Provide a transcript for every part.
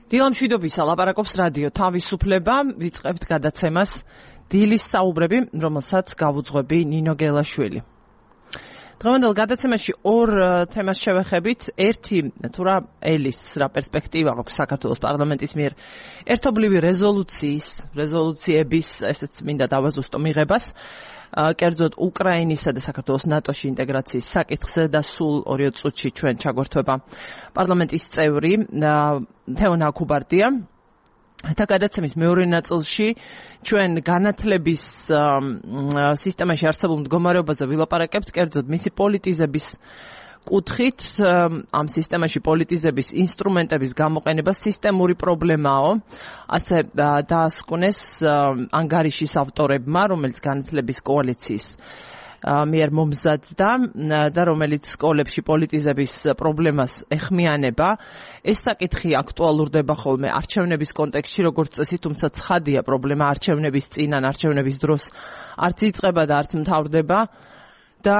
დილამ მშვიდობისა, ლაპარაკობს რადიო თავისუფლება, ვიწყებთ გადაცემას დილის საუბრები, რომელსაც გავუძღვები ნინო გელაშვილი. დღევანდელ გადაცემაში ორ თემას შევეხებით. ერთი, თუ რა ელის რა პერსპექტივა აქვს საქართველოს პარლამენტის მიერ ერთობლივი რეზოლუციების, ესეც მინდა დავაზუსტო მიღებას, კერძოდ უკრაინისა და საქართველოს ნატოში ინტეგრაციის საკითხზე და სულ 2 წუთში ჩვენ ჩაგვერთვება პარლამენტის წევრი თეონა აქუბარდია. და გადაცემის მეორე ნაწილში ჩვენ განათლების სისტემაში არსებულ მდგომარეობაზე ვილაპარაკებთ, კერძოდ მისი პოლიტიზების კუთხით. ამ სისტემაში პოლიტიზების ინსტრუმენტების გამოყენება სისტემური პრობლემაო, ასე დაასკვნეს ანგარიშის ავტორებმა, რომელიც განათლების კოალიციის მიერ მომზადდა და რომელიც სკოლებში პოლიტიზების პრობლემას ეხმიანება. ეს საკითხი აქტუალურდება ხოლმე არჩევნების კონტექსტში, როგორც წესი, თუმცა ცხადია პრობლემა არჩევნების წინ ან არჩევნების დროს არც იწყება და არც მთავრდება და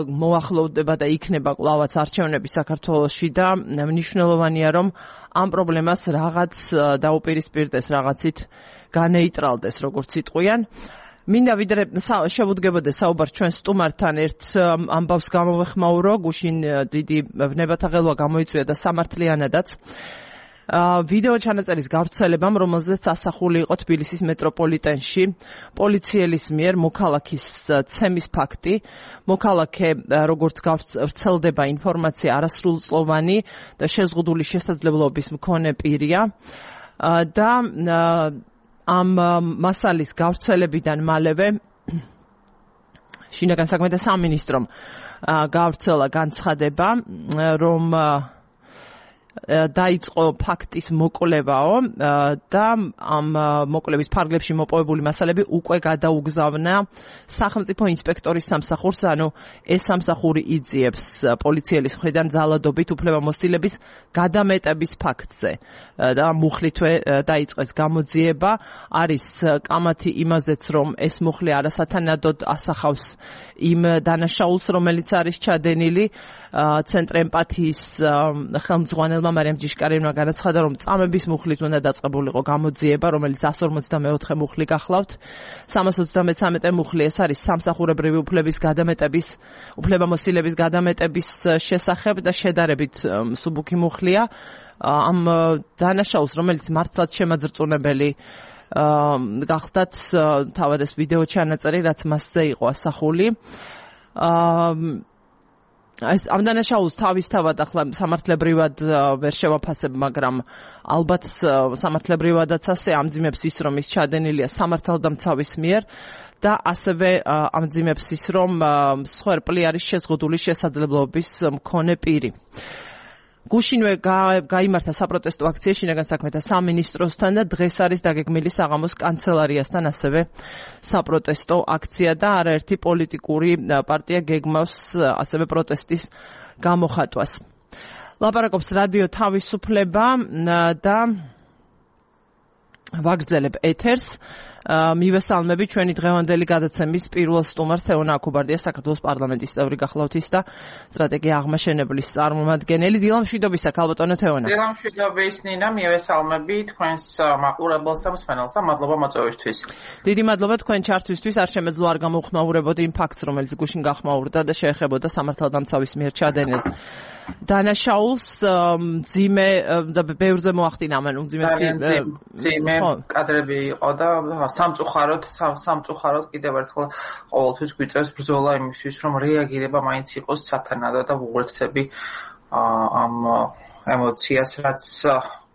მოახლოვდება და იქნება კვლავაც არჩევნები საქართველოში და მნიშვნელოვანია, რომ ამ პრობლემას რაღაც დაუპირისპირდეს, რაღაცით განეიტრალდეს, როგორც იტყვიან. მინდა ვიდრე შევუდგებოდეს საუბარს ჩვენ სტუმართან ერთ ამბავს გამოვეხმაურო, გუშინ დიდი ვნებათა ღელვა გამოიწვია და სამართლიანადაც ვიდეო ჩანაწერის გავრცელებამ, რომელზეც ასახული იყო თბილისის მეტროპოლიტენში პოლიციელის მიერ მოქალაქის ცემის ფაქტი. მოქალაქე, როგორც გავრცელდება ინფორმაცია, არასრულწლოვანი და შეზღუდული შესაძლებლობის მქონე პირია და ამ მასალის გავრცელებიდან მალევე შინაგან საქმეთა სამინისტრომ გავრცელა განცხადება, რომ დაიწყო ფაქტის მოკვლევაო და ამ მოკვლევის ფარგლებში მოპოვებული მასალები უკვე გადაუგზავნა სახელმწიფო ინსპექტორის სამსახურს, ანუ ეს სამსახური იძიებს პოლიციელის მხრიდან ძალადობით უფლებამოსილების გადამეტების ფაქტზე და მუხლითვე დაიწყეს გამოძიება. არის კამათი იმაზეც, რომ ეს მუხლი არასათანადოდ ასახავს იმ დანაშაულს, რომელიც არის ჩადენილი. ცენტრ ემპათიის ხელმძღვანელმა მარიამ ჯიშკარიანმა განაცხადა, რომ წამების მუხლით უნდა დაწყებულიყო გამოძიება, რომელიც 154 მუხლი გახლავთ. 333 მუხლი ეს არის სამსახურებრივი უფლების გადამეტების, უფლებამოსილების გადამეტების შესახებ და შედარებით მსუბუქი მუხლია. ამ დანაშაულს, რომელიც მართლაც შემაძრწუნებელი გახდათ, თავად ეს ვიდეო ჩანაწერი, რაც მასზე იყო ასახული. ამ დანაშაულს თავისთავად ახლა სამართლებრივად ვერ შევაფასებ, მაგრამ ალბათ სამართლებრივადაც ასე ამძიმებს ის, რომ ის ჩადენილია სამართალდამცავის მიერ და ასევე ამძიმებს ის, რომ მსხვერპლი არის შეზღუდული შესაძლებლობის მქონე პირი. გუშინვე გაიმართა საპროტესტო აქცია შინაგან საქმეთა სამინისტროსთან და დღეს არის დაგეგმილი საღამოს კანცელარიასთან ასევე საპროტესტო აქცია და არაერთი პოლიტიკური პარტია გეგმავს ასევე პროტესტის გამოხატვას. ლაპარაკობს რადიო თავისუფლება და ვაგრძელებ ეთერს. მივესალმები ჩვენი დღევანდელი გადაცემის პირველ სტუმარს თეონა აქუბარდია, საქართველოს პარლამენტის წევრი გახლავთ ის და სტრატეგია აღმაშენებლის წარმომადგენელი. დილამ მშვიდობისა, ქალბატონო თეონა. დილამ მშვიდობის ნინა, მივესალმები თქვენს მაყურებელს და მსმენელს და მადლობა მოწვევისთვის. დიდი მადლობა თქვენ ჩართვისთვის. არ შემეძლო არ გამოვხმაურებოდი იმ ფაქტს, რომელიც გუშინ გახმაურდა და შეეხებოდა სამართალდამცავის მიერ ჩადენილ დანაშაულს. მძიმე და ბევრზე მოახდინა, ანუ მძიმე კადრები იყო და სამწუხაროდ კიდევ ერთხელ ყოველთვის გვიწევს ბრძოლა იმისთვის, რომ რეაგირება მაინც იყოს სათანადო და ვუღურთები ამ ემოციას, რაც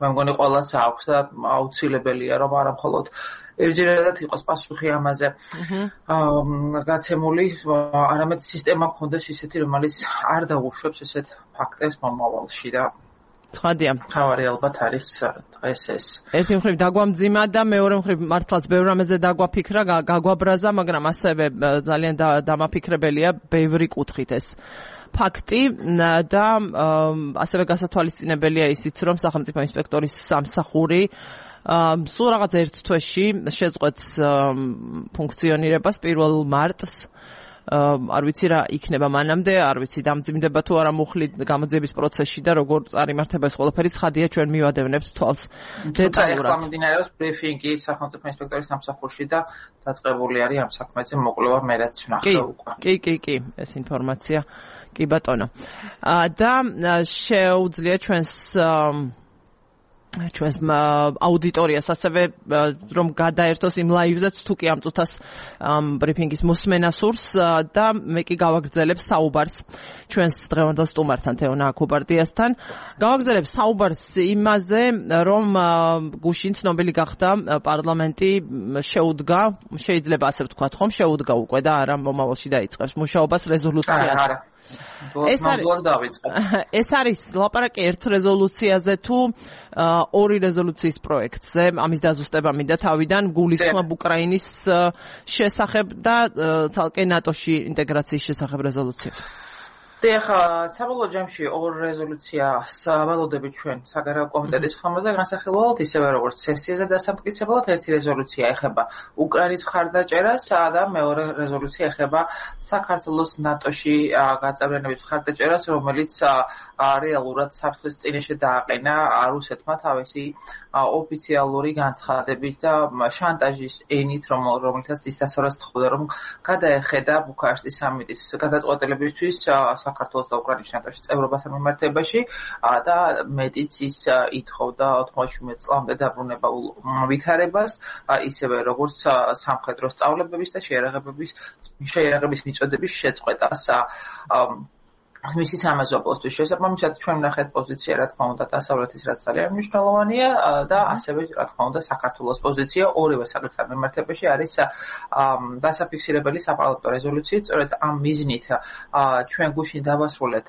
მე მგონი ყველას აქვს და აუცილებელია, რომ არა მხოლოდ ებჯერადად იყოს პასუხი ამაზე გაცემული, არამედ სისტემა გქონდეს ისეთი, რომელიც არ დაუშვებს ესეთ ფაქტებს მომავალში და ცხადია. თავარი ალბათ არის დღეს ეს. ერთი მხრივ დაგვამძიმა და მეორე მხრივ მართლაც ბევრ რამეზე დაგვაფიქრა, გაგვაბრაზა, მაგრამ ასევე ძალიან დამაფიქრებელია ბევრი კუთხით ეს ფაქტი და ასევე გასათვალისწინებელია ისიც, რომ სახელმწიფო ინსპექტორის სამსახური სულ რაღაც ერთ თვეში შეწყვეტს ფუნქციონირებას 1 მარტს არ ვიცი რა იქნება მანამდე, არ ვიცი დამძიმდება თუ არა მუხლი გამოძიების პროცესში და როგორ წარიმართება ეს ყველაფერი, ცხადია ჩვენ მივადევნებთ თვალს დეტალურად. ახლა მიმდინარეობს ბრიფინგი სახელმწიფო ინსპექტორის სამსახურში და დაწყებული არის ამ საქმეზე მოკვლევა, მე რაც ვნახე უკვე. კი, ეს ინფორმაცია კი ბატონო. და შეუძლია ჩვენს აუდიტორიას ასევე რომ გადაერთოს იმ ლაივზეც თუ კი ამ წუთას ბრიფინგის მოსმენა სურს და მე კი გავაგრძელებ საუბარს ჩვენს დღევანდელ სტუმართან თეონა აქუბარდიასთან. გავაგრძელებ საუბარს იმაზე, რომ გუშინ ცნობილი გახდა პარლამენტი შეუდგა, შეიძლება ასე ვთქვათ, ხომ შეუდგა უკვე და არა მომავალში დაიწყებს მუშაობას რეზოლუციაზე. ეს არის ლაპარაკი ერთ რეზოლუციაზე თუ ორი რეზოლუციის პროექტზე, ამის დაზუსტება მინდა თავიდან, გულისხმობ უკრაინის შესახებ და ცალკე ნატოში ინტეგრაციის შესახებ რეზოლუციებს. ახლა საბოლოო ჯამში ორ რეზოლუციას ვალოდებით ჩვენ საგარეო კომიტეტის ხმაზე განსახილველად, ისევე როგორც სესიაზე დასამტკიცებლად. ერთი რეზოლუცია ეხება უკრაინის მხარდაჭერას და მეორე რეზოლუცია ეხება საქართველოს ნატოში გაწევრიანების მხარდაჭერას, რომელიც რეალურად საფრთხის წინაშე დააყენა რუსეთმა თავისი ოფიციალური განცხადებით და შანტაჟის ენით, რომელთაც ის დასავლას თხოვდა, რომ გადაეხედა ბუქარესტის სამიტის გადაწყვეტილებისთვის საქართველოს და უკრაინის ნატოში წევრობასთან მიმართებაში და მეტიც ის ითხოვდა 97 წლამდე დაბრუნებულ ვითარებას, ისევე როგორც სამხედრო სწავლებების და შეიარაღების მიწოდების შეწყვეტას. მისი სამეზო პოსტის შესაბამისად ჩვენ ვნახეთ პოზიცია, რა თქმა უნდა, დასავლეთის რაც ძალიან მნიშვნელოვანია და ასევე რა თქმა უნდა საქართველოს პოზიცია ორივე საკითხთან მიმართებაში არის დასაფიქსირებელი საპარლამენტო რეზოლუციით. სწორედ ამ მიზნით ჩვენ გუშინ დავასრულეთ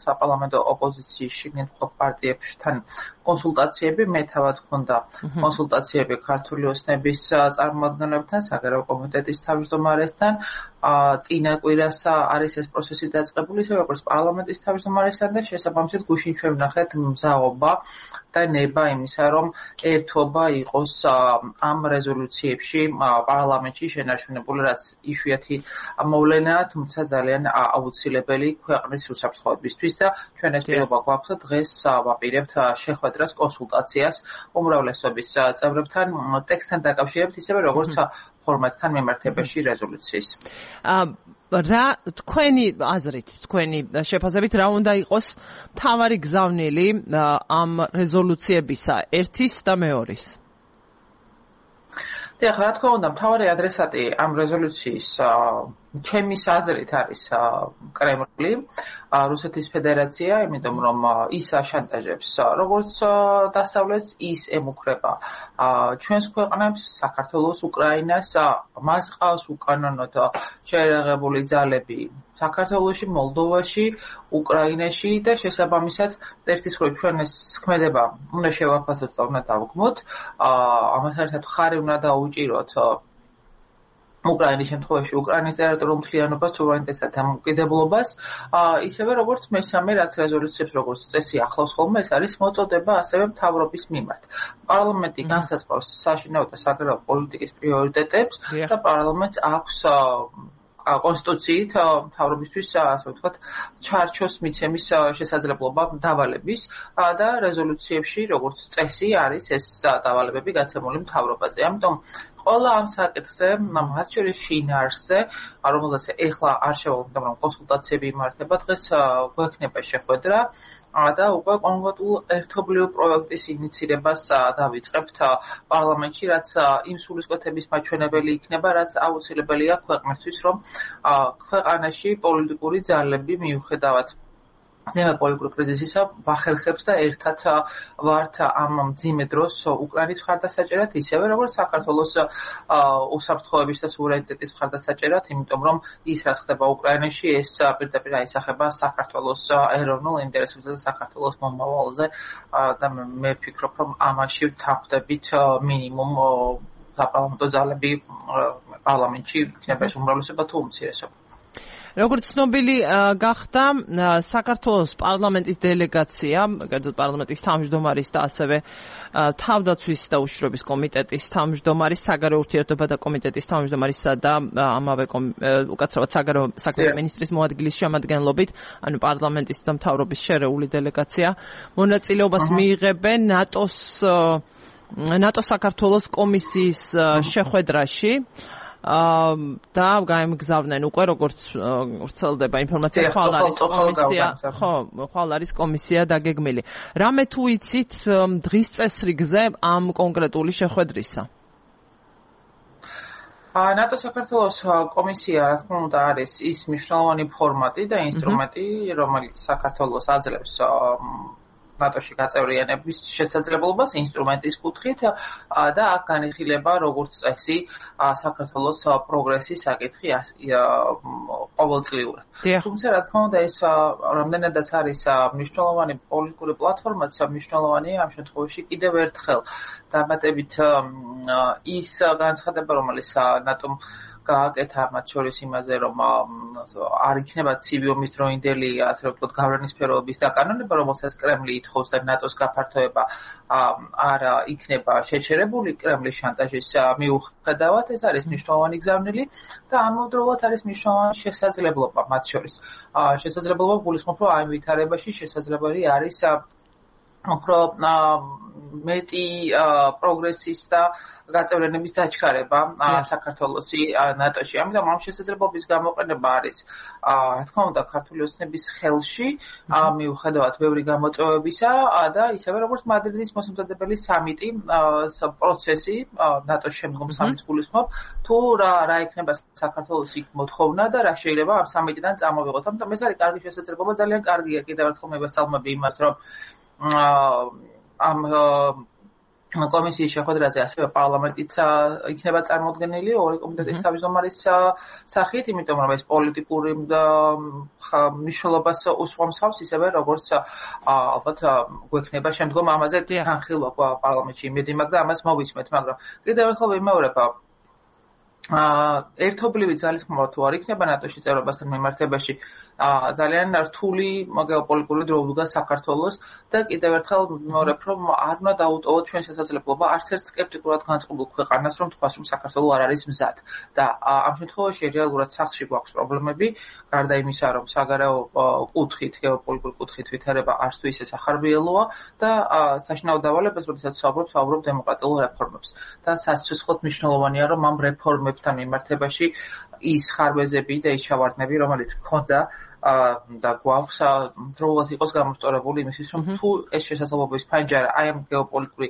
საპარლამენტო ოპოზიციის შიგნით მყოფ პარტიებთან კონსულტაციები, მე თავად გქონდა კონსულტაციები ქართული ოცნების წარმომადგენლებთან, საგარეო კომიტეტის თავმჯდომარესთან. წინა კვირას არის ეს პროცესი დაწყებული, ისე როგორც პარლამენტის თავმჯდომარესთან და შესაბამისად გუშინ ჩვენ ვნახეთ მზაობა და ნება იმისა, რომ ერთობა იყოს ამ რეზოლუციებში პარლამენტში შენარჩუნებული, რაც იშვიათი მოვლენაა, თუმცა ძალიან აუცილებელი ქვეყნის უსაფრთხოებისთვის და ჩვენ ეს პირობა გვაქვს და დღეს ვაპირებთ შეხვედრას, კონსულტაციას უმრავლესობის წევრებთან ტექსტთან დაკავშირებით, ისევე როგორც ფორმატთან მიმართებაში რეზოლუციის. რა თქვენი აზრით, თქვენი შეფასებით რა უნდა იყოს მთავარი გზავნილი ამ რეზოლუციებისა ერთის და მეორის? ახლა რა თქმა უნდა, მთავარი ადრესატი ამ რეზოლუციის ჩემის აზრით არის კრემლი, რუსეთის ფედერაცია, იმიტომ რომ ის აშანტაჟებს როგორც დასავლეთს, ის ემუქრება ჩვენს ქვეყნებს, საქართველოს, უკრაინას, მას ყავს უკანონოდ შეიარაღებული ძალები საქართველოში, მოლდოვაში, უკრაინაში და შესაბამისად ერთის მხრივ ჩვენ ეს ქმედება უნდა შევაფასოთ და უნდა დავგმოთ. ამასთან ერთად ხარი უნდა დაუჭიროთ უკრაინის შემთხვევაში უკრაინის ტერიტორიულ მთლიანობას, სუვერენიტეტსა და დამოუკიდებლობას, ისევე როგორც მესამე რაც რეზოლუციებს როგორც წესი ახლავს ხოლმე, ეს არის მოწოდება ასევე მთავრობის მიმართ. პარლამენტი განსაზღვრავს საშინაო და საგარეო პოლიტიკის პრიორიტეტებს და პარლამენტს აქვს კონსტიტუციით მთავრობისთვის, ასე ვთქვათ, ჩარჩოს მიცემის შესაძლებლობა დავალების და რეზოლუციებში როგორც წესი არის ეს დავალებები გაცემული მთავრობაზე. ამიტომ ყველა ამ საკითხზე, მათ შორის შინაარსზე, რომელზეც ეხლა არ შევალთ, მაგრამ კონსულტაციები იმართება, დღეს გვექნება შეხვედრა და უკვე კონკრეტულ ერთობლივ პროექტის ინიცირებას დავიწყებთ პარლამენტში, რაც იმ სულისკვეთების მაჩვენებელი იქნება, რაც აუცილებელია ქვეყნისთვის, რომ ქვეყანაში პოლიტიკური ძალები მიუხედავად ზემო პოლიტიკური კრიზისისა ვახერხებთ და ერთად ვართ ამ მძიმე დროს უკრაინის მხარდასაჭერად, ისევე როგორც საქართველოს უსაფრთხოების და სუვერენიტეტის მხარდასაჭერად, იმიტომ რომ ის რაც ხდება უკრაინაში, ეს პირდაპირ აისახება საქართველოს ეროვნულ ინტერესებზე და საქართველოს მომავალზე და მე ვფიქრობ, რომ ამაში ვთანხმდებით მინიმუმ საპარლამენტო ძალები პარლამენტში იქნება ეს უმრავლესობა თუ უმცირესობა. როგორც ცნობილი გახდა საქართველოს პარლამენტის დელეგაცია, კერძოდ პარლამენტის თავმჯდომარის და ასევე თავდაცვის და უშიშროების კომიტეტის თავმჯდომარის, საგარეო ურთიერთობათა კომიტეტის თავმჯდომარისა და ამავე უკაცრავად საგარეო საქმეთა მინისტრის მოადგილის შემადგენლობით, ანუ პარლამენტის და მთავრობის შერეული დელეგაცია მონაწილეობას მიიღებენ ნატოს საქართველოს კომისიის შეხვედრაში. და გაემგზავრნენ უკვე როგორც ვრცელდება ინფორმაცია ხვალ არის კომისია დაგეგმილი. რამე თუ იცით დღის წესრიგზე ამ კონკრეტული შეხვედრისა? ნატო საქართველოს კომისია, რა თქმა უნდა, არის ის მნიშვნელოვანი ფორმატი და ინსტრუმენტი, რომელიც საქართველოს აძლევს ნატოში გაწევრიანების შესაძლებლობას ინსტრუმენტის კუთხით და აქ განიხილება როგორც წესი საქართველოს პროგრესის საკითხი ყოველწლიურად. თუმცა რა თქმა უნდა ეს რამდენადაც არის მნიშვნელოვანი პოლიტიკური პლატფორმაც, მნიშვნელოვანია ამ შემთხვევაში კიდევ ერთხელ დამატებით ის განცხადება, რომელიც ნატომ გააკეთა მათ შორის იმაზე, რომ არ იქნება ცივი ომის დროინდელი, ასე ვთქვათ, გავლენის სფეროების დაკანონება, რომელსაც კრემლი ითხოვს და ნატოს გაფართოება არ იქნება შეჩერებული კრემლის შანტაჟის მიუხედავად, ეს არის მნიშვნელოვანი გზავნილი და ამავდროულად არის მნიშვნელოვანი შესაძლებლობა მათ შორის. შესაძლებლობა გულისხმობ, რომ ამ ვითარებაში შესაძლებელი არის უფრო მეტი პროგრესის და გაწევრიანების დაჩქარება საქართველოსი ნატოში. ამიტომ ამ შესაძლებლობის გამოყენება არის, რა თქმა უნდა, ქართული ოცნების ხელში, მიუხედავად ბევრი გამოწვევებისა და ისევე როგორც მადრიდის მოსამზადებელი სამიტი პროცესი, ნატოს შემდგომ სამიტს გულისხმობ, თუ რა იქნება საქართველოს იქ მოთხოვნა და რა შეიძლება ამ სამიტიდან წამოვიღოთ. ამიტომ ეს არის კარგი შესაძლებლობა, ძალიან კარგია კიდევ ერთხელ მივესალმები იმას, რომ ამ კომისიის შეხვედრაზე ასევე პარლამენტიც იქნება წარმოდგენილი ორი კომიტეტის თავმჯდომარის სახით, იმიტომ რომ ეს პოლიტიკური მნიშვნელობას უსვამს ისევე როგორც ალბათ გვექნება შემდგომ ამაზე განხილვა პარლამენტში იმედი მაქვს და ამას მოვისმენთ, მაგრამ კიდევ ერთხელ ვიმეორებ ერთობლივი ძალისხმევა თუ არ იქნება ნატოში წევრობასთან მიმართებაში ძალიან რთული გეოპოლიტიკური დრო უდგას საქართველოს და კიდევ ერთხელ ვიმეორებ, რომ არ უნდა დაუტოვოთ ჩვენ შესაძლებლობა არც ერთ სკეპტიკურად განწყობილ ქვეყანას, რომ თქვას, რომ საქართველო არ არის მზად და ამ შემთხვევაში რეალურად სახლში გვაქვს პრობლემები, გარდა იმისა, რომ საგარეო კუთხით, გეოპოლიტიკური კუთხით ვითარება არც თუ ისე სახარბიელოა და საშინაო დავალებას, როდესაც ვსაუბრობ დემოკრატიულ რეფორმებს და სასიცოცხლოდ მნიშვნელოვანია, რომ ამ რეფორმებთან მიმართებაში ის ხარვეზები და ის ჩავარდნები, რომელიც ჰქონდა და გვაქვს დროულად იყოს გამოსწორებული იმისთვის, რომ თუ ეს შესაძლებლობის ფანჯარა აი ამ გეოპოლიტიკური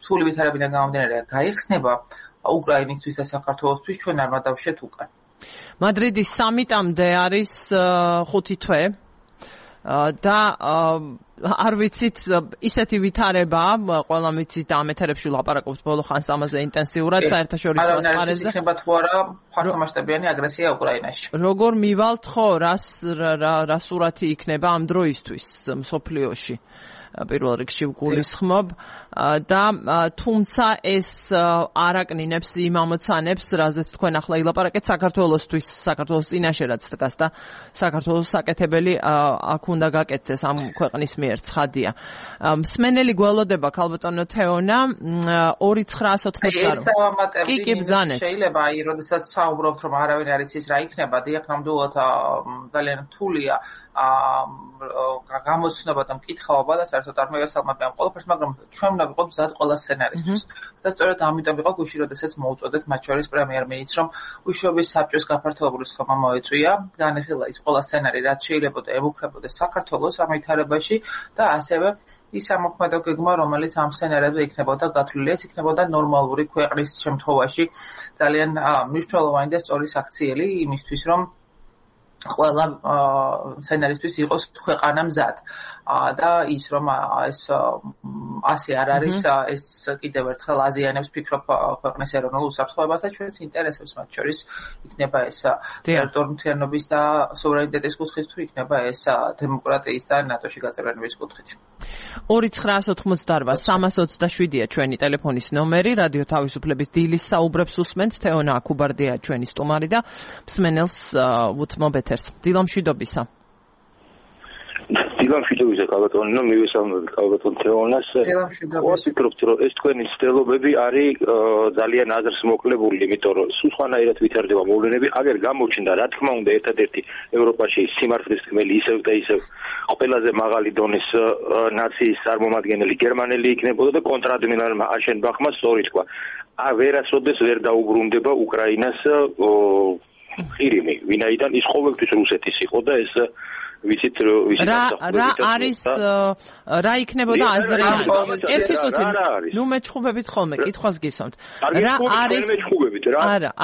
რთული ვითარებიდან გამომდინარე გაიხსნება უკრაინისთვის და საქართველოსთვის, ჩვენ არ ვადავშეთ უკან. მადრიდის სამიტამდე არის 5 თვე და არ ვიცით ისეთი ვითარება, ყველა ვიცით და ამ ეთერებში ვლაპარაკობთ ბოლო ხანს ამაზე ინტენსიურად საერთაშორისო ასპარეზზე. იქნება თუ არა ფართომასშტაბიანი აგრესია უკრაინაში. როგორ მივალთ ხო, რა სურათი იქნება ამ დროისთვის მსოფლიოში? პირველ რიგში გულისხმობ და თუმცა ეს არაკნინებს იმ ამოცანებს, რაზეც თქვენ ახლა ილაპარაკეთ საქართველოსთვის, საქართველოს წინაშე რაც დგას და საქართველოს საკეთებელი აქ უნდა გაკეთდეს ამ ქვეყნის მიერ ცხადია. მსმენელი გველოდება ქალბატონო თეონა 2988 კი ბრძანეთ. შეიძლება აი როდესაც საუბრობთ, რომ არავინ არ იცის რა იქნება, დიახ, ნამდვილად ძალიან რთულია გამოცნობა და მკითხაობა და საერთოდ არ მევესალმები ამ ყველაფერს, მაგრამ ჩვენ უნდა ვიყოთ მზად ყველა სცენარისთვის. და სწორედ ამიტომ იყო გუშინ, როდესაც მოუწოდეთ მათ შორის პრემიერ-მინისტრს, რომ უშუალოდ საბჭოს გაფართოებული სხდომა მოეწვია, განეხილა ის ყველა სცენარი, რაც შეიძლება ემუქრებოდეს საქართველოს ამ ვითარებაში და ასევე ის ამოქმედო გეგმა, რომელიც ამ სცენარებზე იქნებოდა გათვლილი, ეს იქნებოდა ნორმალური ქვეყნის შემთხვევაში ძალიან მნიშვნელოვანი და სწორი საქციელი იმისთვის, რომ ყველა სცენარისთვის იყოს ქვეყანა მზად და ის რომ ეს ასე არ არის, ეს კიდევ ერთხელ აზიანებს ფიქრობ ქვეყნის ეროვნულ უსაფრთხოებას და ჩვენს ინტერესებს, მათ შორის იქნება ეს ტერიტორიული მთლიანობის და სუვერენიტეტის კუთხით, თუ იქნება ეს დემოკრატიის და ნატოში გაწევრიანების კუთხით. 2988-327-ია ჩვენი ტელეფონის ნომერი, რადიო თავისუფლების დილის საუბრებს უსმენთ, თეონა აქუბარდია ჩვენი სტუმარი და მსმენელს უთმობ ეთერში ეთერს. დილამშვიდობისა. დილამშვიდობისა კალბატონო, მივესალმები კალბატონ თეონას. ვფიქრობთ, რომ ეს თქვენი ცდილობები არის ძალიან აზრს მოკლებული, იმიტომ რომ სულ სხვანაირად ვითარდება მოვლენები. აგერ გამოჩნდა, რა თქმა უნდა, ერთადერთი ევროპაში სიმართლის თქმელი ისევ და ისევ ყველაზე მაღალი დონის ნაციის წარმომადგენელი გერმანელი იქნებოდა და კონტრადმირალმა აშენბახმა სწორი თქვა. ვერასოდეს ვერ დაუბრუნდება უკრაინას ხირიმი, ვინაიდან ის ყოველთვის რუსეთის იყო და ეს ვიცით რა იქნებოდა აზრიანი. ერთი წუთი ნუ მეჩხუბებით ხოლმე კითხვას გისვამთ. რა არის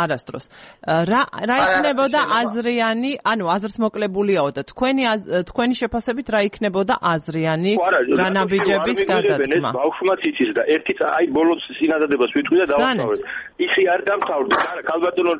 არასდროს. რა იქნებოდა აზრიანი, ანუ აზრს მოკლებულიაო და თქვენი შეფასებით რა იქნებოდა აზრიანი განაბიჯების გადადგმა. ბავშვმაც იცის და ერთი აი ბოლოს წინადადებას ვიტყვი და დავასწავლეთ. ისი არ დამთავრდა. კალბატონო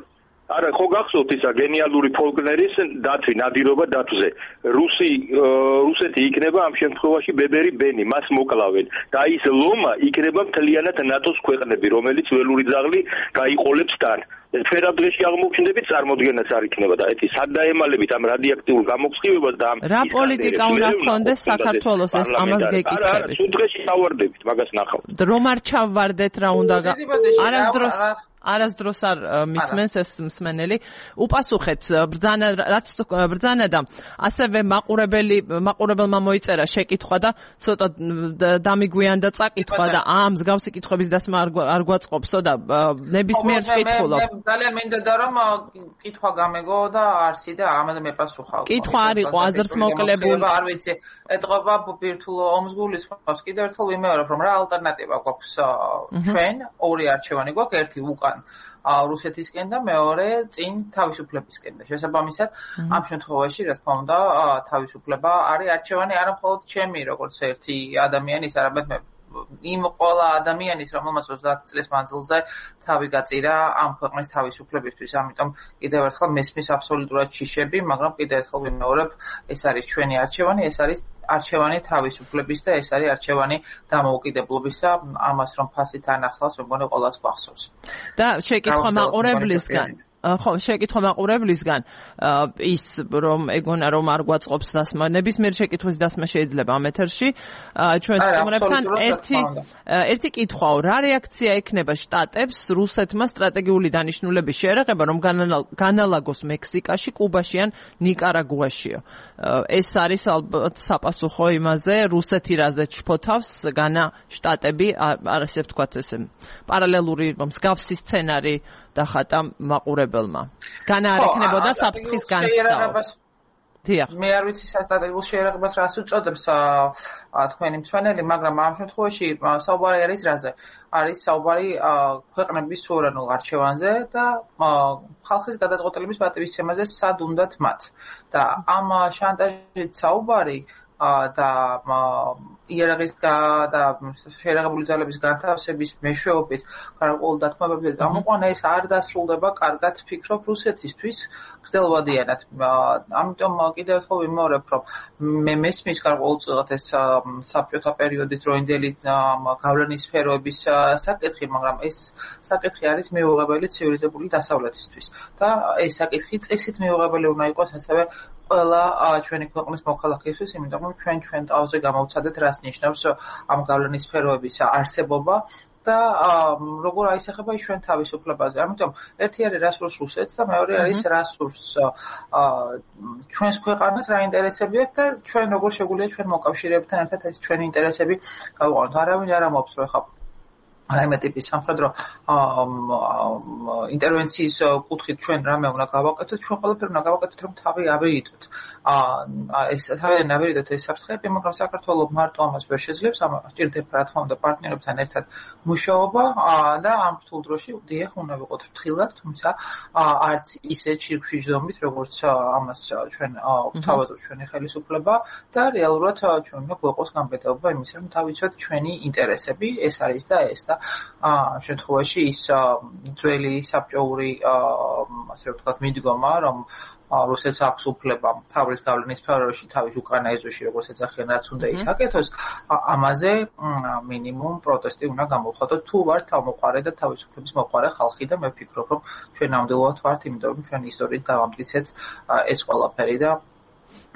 არა, ხო გახსოვთ ისა გენიალური ფოლკნერის დათვი, ნადირობა დათვზე. რუსეთი იქნება ამ შემთხვევაში ბებერი ბენი, მას მოკლავენ. და ის ლომა იქნება მთლიანად ნატოს ქვეყნები, რომელიც ველური ძაღლი გაიყოლებს თან. ფერად დღეში აღმოჩნდებით წარმოდგენაც არ იქნება და ეს სად დაემალებით ამ რადიოაქტიურ გამოცხივებას და ამ რა პოლიტიკა უნდა ჰქონდეს საქართველოს ეს ამას გეკითხებით. სულ დღეში დავარდებით, მაგას ნახავთ. რომ არ ჩავვარდეთ რა უნდა არასდროს არ მისმენს ეს მსმენელი. უპასუხეთ ბრძანა და ასევე მაყურებელმა მოიწერა შეკითხვა და ცოტა დამიგვიანდა წაკითხვა და მსგავსი კითხვების დასმა არ გვაწყობსო და ნებისმიერ კითხულობ. ძალიან მინდოდა რომ კითხვა გამეგო და არსი და ამაზე მეპასუხავ. კითხვა არ იყო აზრს მოკლებული. არ ვიცი, ეთყობა ბირთულო ომს გულისხმობს. კიდევ ერთხელ ვიმეორებ რომ რა ალტერნატივა გვაქვს ჩვენ ორი არჩევანი გვაქვს, ერთი უკან რუსეთისკენ და მეორე წინ თავისუფლებისკენ და შესაბამისად ამ შემთხვევაში რა თქმა უნდა თავისუფლება არის არჩევანი არა მხოლოდ ჩემი როგორც ერთი ადამიანის, არამედ იმ ყველა ადამიანის, რომელმაც 30 წლის მანძილზე თავი გაწირა ამ ქვეყნის თავისუფლებისთვის. ამიტომ კიდევ ერთხელ მესმის აბსოლუტურად შიშები, მაგრამ კიდევ ერთხელ ვიმეორებ, ეს არის ჩვენი არჩევანი, ეს არის არჩევანი თავისუფლების და ეს არის არჩევანი დამოუკიდებლობისა. ამას რომ ფასით ანახლავს, მეგონი ყველას გვახსოვს. და შეკითხვა მაყურებლისგან შეკითხვა მაყურებლისგან ის რომ ეგონა რომ არ გვაწყობს დასმა, ნებისმიერ შეკითხვის დასმა შეიძლება ამ ეთერში ჩვენ სტუმრებთან ერთი კითხვაო, რა რეაქცია ექნება შტატებს რუსეთმა სტრატეგიული დანიშნულების შეერაღება რომ განალაგოს მექსიკაში, კუბაში ან ნიკარაგუაშიო. ეს არის ალბათ საპასუხო იმაზე, რუსეთი რაზე ჩფოთავს, განა შტატები, არ ისე ვთქვათ ესე პარალელური მსგავსი სცენარი დახატა მაყურებელმა. განა არ ექნებოდა საფრთხის განცდაობა. დიახ. მე არ ვიცი სტრატეგიულ შეერაღებას რას უწოდებს თქვენი მსმენელი, მაგრამ ამ შემთხვევაში საუბარი არის რაზე? არის საუბარი ქვეყნების სუვერენულ არჩევანზე და ხალხის გადაწყვეტილების პატივისცემაზე სად უნდათ მათ. და ამ შანტაჟით საუბარი და იერაღის და შეერაღებული ძალების განთავსების მეშვეობით გარკვეულ დათმობებზე გამოყვანა ეს არ დასრულდება კარგად ფიქრობ რუსეთისთვის გრძელვადიანად. ამიტომ კიდევ ერთხელ ვიმეორებ, რომ მე მესმის გარკვეულწილად ეს საბჭოთა პერიოდის დროინდელი გავლენის სფეროების საკითხი, მაგრამ ეს საკითხი არის მიუღებელი ცივილიზებული დასავლეთისთვის და ეს საკითხი წესით მიუღებელი უნდა იყოს ასევე ყველა ჩვენი ქვეყნის მოქალაქეთვის, იმიტომ რომ ჩვენ თავზე გამოვცადეთ რას ნიშნავს ამ გავლენის სფეროების არსებობა და როგორ აისახება ჩვენ თავისუფლებაზე. ამიტომ ერთი არის რა სურს რუსეთს და მეორე არის რა სურს ჩვენს ქვეყანას, რა ინტერესები აქვს და ჩვენ როგორ შეგვიძლია ჩვენ მოკავშირეებთან ერთად ეს ჩვენი ინტერესები გავყვანოთ. არავინ არ ამბობს რომ ხა რაიმე ტიპის სამხედრო ინტერვენციის კუთხით ჩვენ რამე უნდა გავაკეთოთ, ჩვენ ყველაფერი უნდა გავაკეთოთ, რომ თავი ავირიდოთ. ეს თავიდან ავირიდოთ ეს საფრთხეები, მაგრამ საქართველოს მარტო ამას ვერ შეძლებს, ამას სჭირდება რა თქმა უნდა პარტნიორებთან ერთად მუშაობა და ამ რთულ დროში დიახ უნდა ვიყოთ ფრთხილად, თუმცა არც ისე ჩირქშიჟდომით, როგორც ამას ჩვენ გვთავაზობს ჩვენი ხელისუფლება და რეალურად ჩვენ უნდა გვეყოს გამბედაობა იმის, რომ თავიცოთ ჩვენი ინტერესები, ეს არის და ეს და ამ შემთხვევაში ის ძველი საბჭოური ასე ვთქვათ, მიდგომა, რომ რუსეთს აქვს უფლება თავის გავლენის სფეროში თავის უკრაინა ეზოში როგორც ეძახიან რაც უნდა ისაკეთოს, ამაზე მინიმუმ პროტესტი უნდა გამოხატოთ თუ ვართ თავმოყარე და თავისუფლების მოყარე ხალხი და მე ვფიქრობ, რომ ჩვენ ნამდვილად ვართ, იმიტომ რომ ჩვენ ისტორიით დავამტკიცეთ ეს ყველაფერი და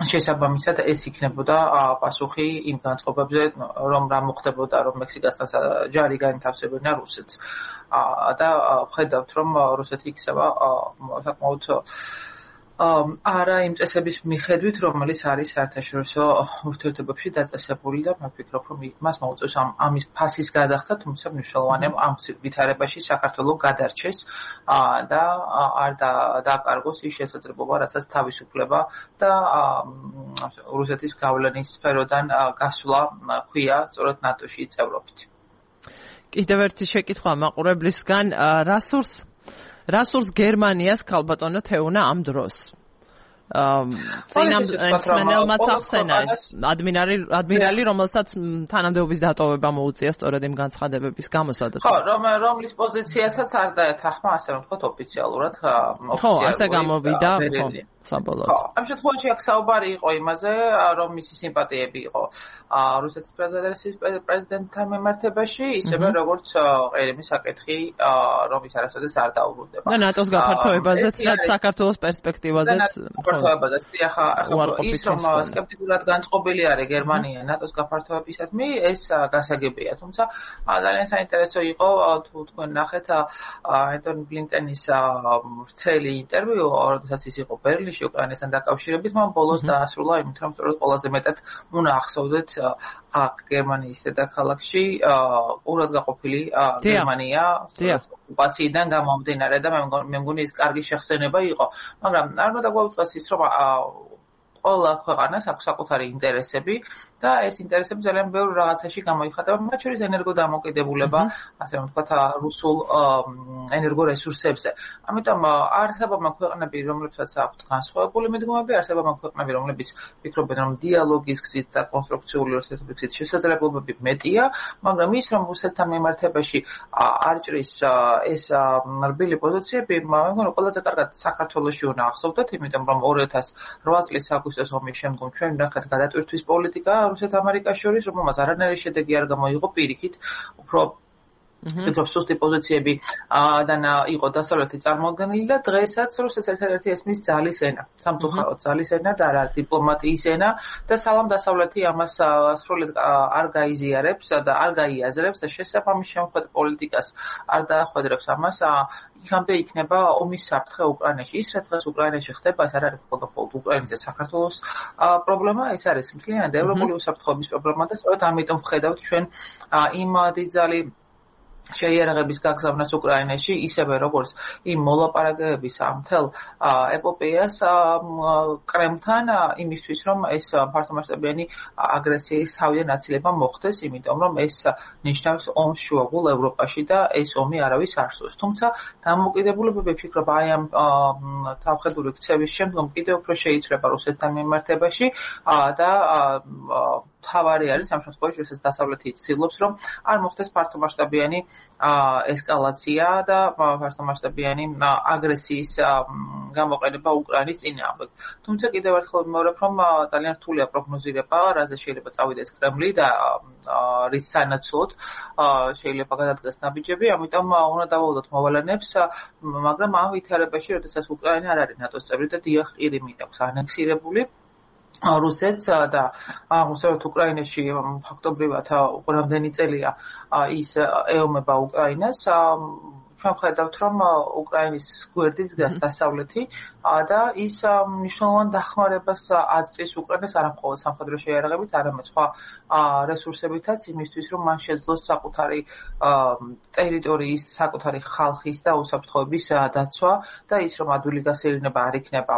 შესაბამისად ეს იქნებოდა პასუხი იმ განწყობებზე, რომ რა მოხდებოდა, რომ მექსიკასთან ჯარი განთავსებინა რუსეთს. და ხედავთ, რომ რუსეთი იქცევა საკმაოდ არა იმ წესების მიხედვით, რომელიც არის საერთაშორისო ურთიერთობებში დაწესებული და მე ვფიქრობ, რომ მას მოუწევს ამის ფასის გადახდა, თუმცა მნიშვნელოვანია ამ ვითარებაში საქართველოს გადარჩეს და არ დააკარგოს ის შესაძლებლობა, რასაც თავისუფლება და რუსეთის გავლენის სფეროდან გასვლა ქვია სწორედ ნატოში წევრობით. კიდევ ერთი შეკითხვა მაყურებლისგან, რასურს გერმანიას ქალბატონო თეუნა ამ დროს? წინამ მსმენელმაც ახსენა ეს ადმირალი, რომელსაც თანამდებობის დატოვება მოუწია სწორედ იმ განცხადებების გამო, სადაც ხო, რომლის პოზიციასაც არ დაეთანხმა, ასე რომ ვთქვათ, ოფიციალურად ხო, ასე გამოვიდა, ხო, საბოლოოდ. ხო, ამ შემთხვევაში აქ საუბარი იყო იმაზე, რომ მისი სიმპათიები იყო რუსეთის ფედერაციის პრეზიდენტთან მიმართებაში, ისევე როგორც ყირიმის საკითხი, რომ ის არასოდეს არ დაუბრუნდება. და ნატოს გაფართოებაზეც და საქართველოს პერსპექტივაზეც გაფართოებაზეც ახლა ის რომ სკეპტიკურად განწყობილი არის გერმანია ნატოს გაფართოებისადმი, ეს გასაგებია, თუმცა ძალიან საინტერესო იყო თუ თქვენ ნახეთ ენტონი ბლინკენის ვრცელი ინტერვიუ, როდესაც ის იყო ბერლინში უკრაინასთან დაკავშირებით, მან ბოლოს დაასრულა იმით, რომ სწორედ ყველაზე მეტად უნდა ახსოვდეთ აქ გერმანიის დედაქალაქში ყურადღაყოფილი გერმანია ოკუპაციიდან გამომდინარე და მე მგონი ეს კარგი შეხსენება იყო, მაგრამ არ უნდა გვაუწყდეს ის, რომ ყველა ქვეყანას აქვს საკუთარი ინტერესები და ეს ინტერესები ძალიან ბევრ რაღაცაში გამოიხატება, მათ შორის ენერგოდამოკიდებულება, ასე რომ ვთქვათ, რუსულ ენერგორესურსებზე. ამიტომ არსებობენ ქვეყნები, რომლებსაც აქვთ განსხვავებული მიდგომები, არსებობენ ქვეყნები, რომლებიც ფიქრობენ, რომ დიალოგის გზით და კონსტრუქციული ურთიერთობების გზით შესაძლებლობები მეტია, მაგრამ ის, რომ რუსეთთან მიმართებაში არ ჭრის ეს რბილი პოზიციები, მე მგონი ყველაზე კარგად საქართველოში უნდა ახსოვდეთ, იმიტომ რომ 2008 წლის აგვისტოს ომის შემდგომ ჩვენ ნახეთ გადატვირთვის პოლიტიკა რუსეთ-ამერიკას შორის, რომელმაც არანაირი შედეგი არ გამოიღო, პირიქით, უფრო ვფიქრობ სუსტი პოზიციები იყო დასავლეთი წარმოადგენილი და დღესაც რუსეთს ერთ-ერთი ესმის ძალის ენა, სამწუხაროდ ძალის ენა და არა დიპლომატიის ენა და სალამ დასავლეთი ამას სრულად არ გაიზიარებს და არ გაიაზრებს და შესაბამის შემოქმედ პოლიტიკას არ დაახვედრებს ამას, იქამდე იქნება ომის საფრთხე უკრაინაში. ის რაც დღეს უკრაინაში ხდება, ეს არ არის მხოლოდ უკრაინის და საქართველოს პრობლემა, ეს არის მთლიანად ევროპული უსაფრთხოების პრობლემა და სწორედ ამიტომ ვხედავთ ჩვენ იმ დიდძალი შეიარაღების გაგზავნას უკრაინაში, ისევე როგორც იმ მოლაპარაკებების მთელ ეპოპეას კრემლთან იმისთვის, რომ ეს ფართომასშტაბიანი აგრესიის თავიდან აცილება მოხდეს, იმიტომ რომ ეს ნიშნავს ომს შუაგულ ევროპაში და ეს ომი არავის არ სურს. თუმცა დამოკიდებულებები ვფიქრობ აი ამ თავხედური ქცევის შემდგომ კიდევ უფრო შეიცვლება რუსეთთან მიმართებაში და თავარი არის ამ შემთხვევაში, როდესაც დასავლეთი ცდილობს, რომ არ მოხდეს ფართომასშტაბიანი ესკალაცია და ფართომასშტაბიანი აგრესიის გამოყენება უკრაინის წინააღმდეგ. თუმცა კიდევ ერთხელ ვიმეორებ, რომ ძალიან რთულია პროგნოზირება, რაზე შეიძლება წავიდეს კრემლი და რის სანაცვლოდ შეიძლება გადადგეს ნაბიჯები, ამიტომ უნდა დავაუდოთ მოვალენებს, მაგრამ ამ ვითარებაში, როდესაც უკრაინა არ არის ნატოს წევრი და დიახ, ყირიმი აქვს ანექსირებული რუსეთს და აღმოსავლეთ უკრაინაში ფაქტობრივად რამდენი წელია ის ეომება უკრაინას, ჩვენ ხედავთ, რომ უკრაინის გვერდით დგას დასავლეთი და ის მნიშვნელოვან დახმარებას აწვდის უკრაინას არა მხოლოდ სამხედრო შეიარაღებით, არამედ სხვა რესურსებითაც იმისთვის, რომ მან შეძლოს საკუთარი ტერიტორიის, საკუთარი ხალხის და უსაფრთხოების დაცვა და ის, რომ ადვილი გასეირნება არ იქნება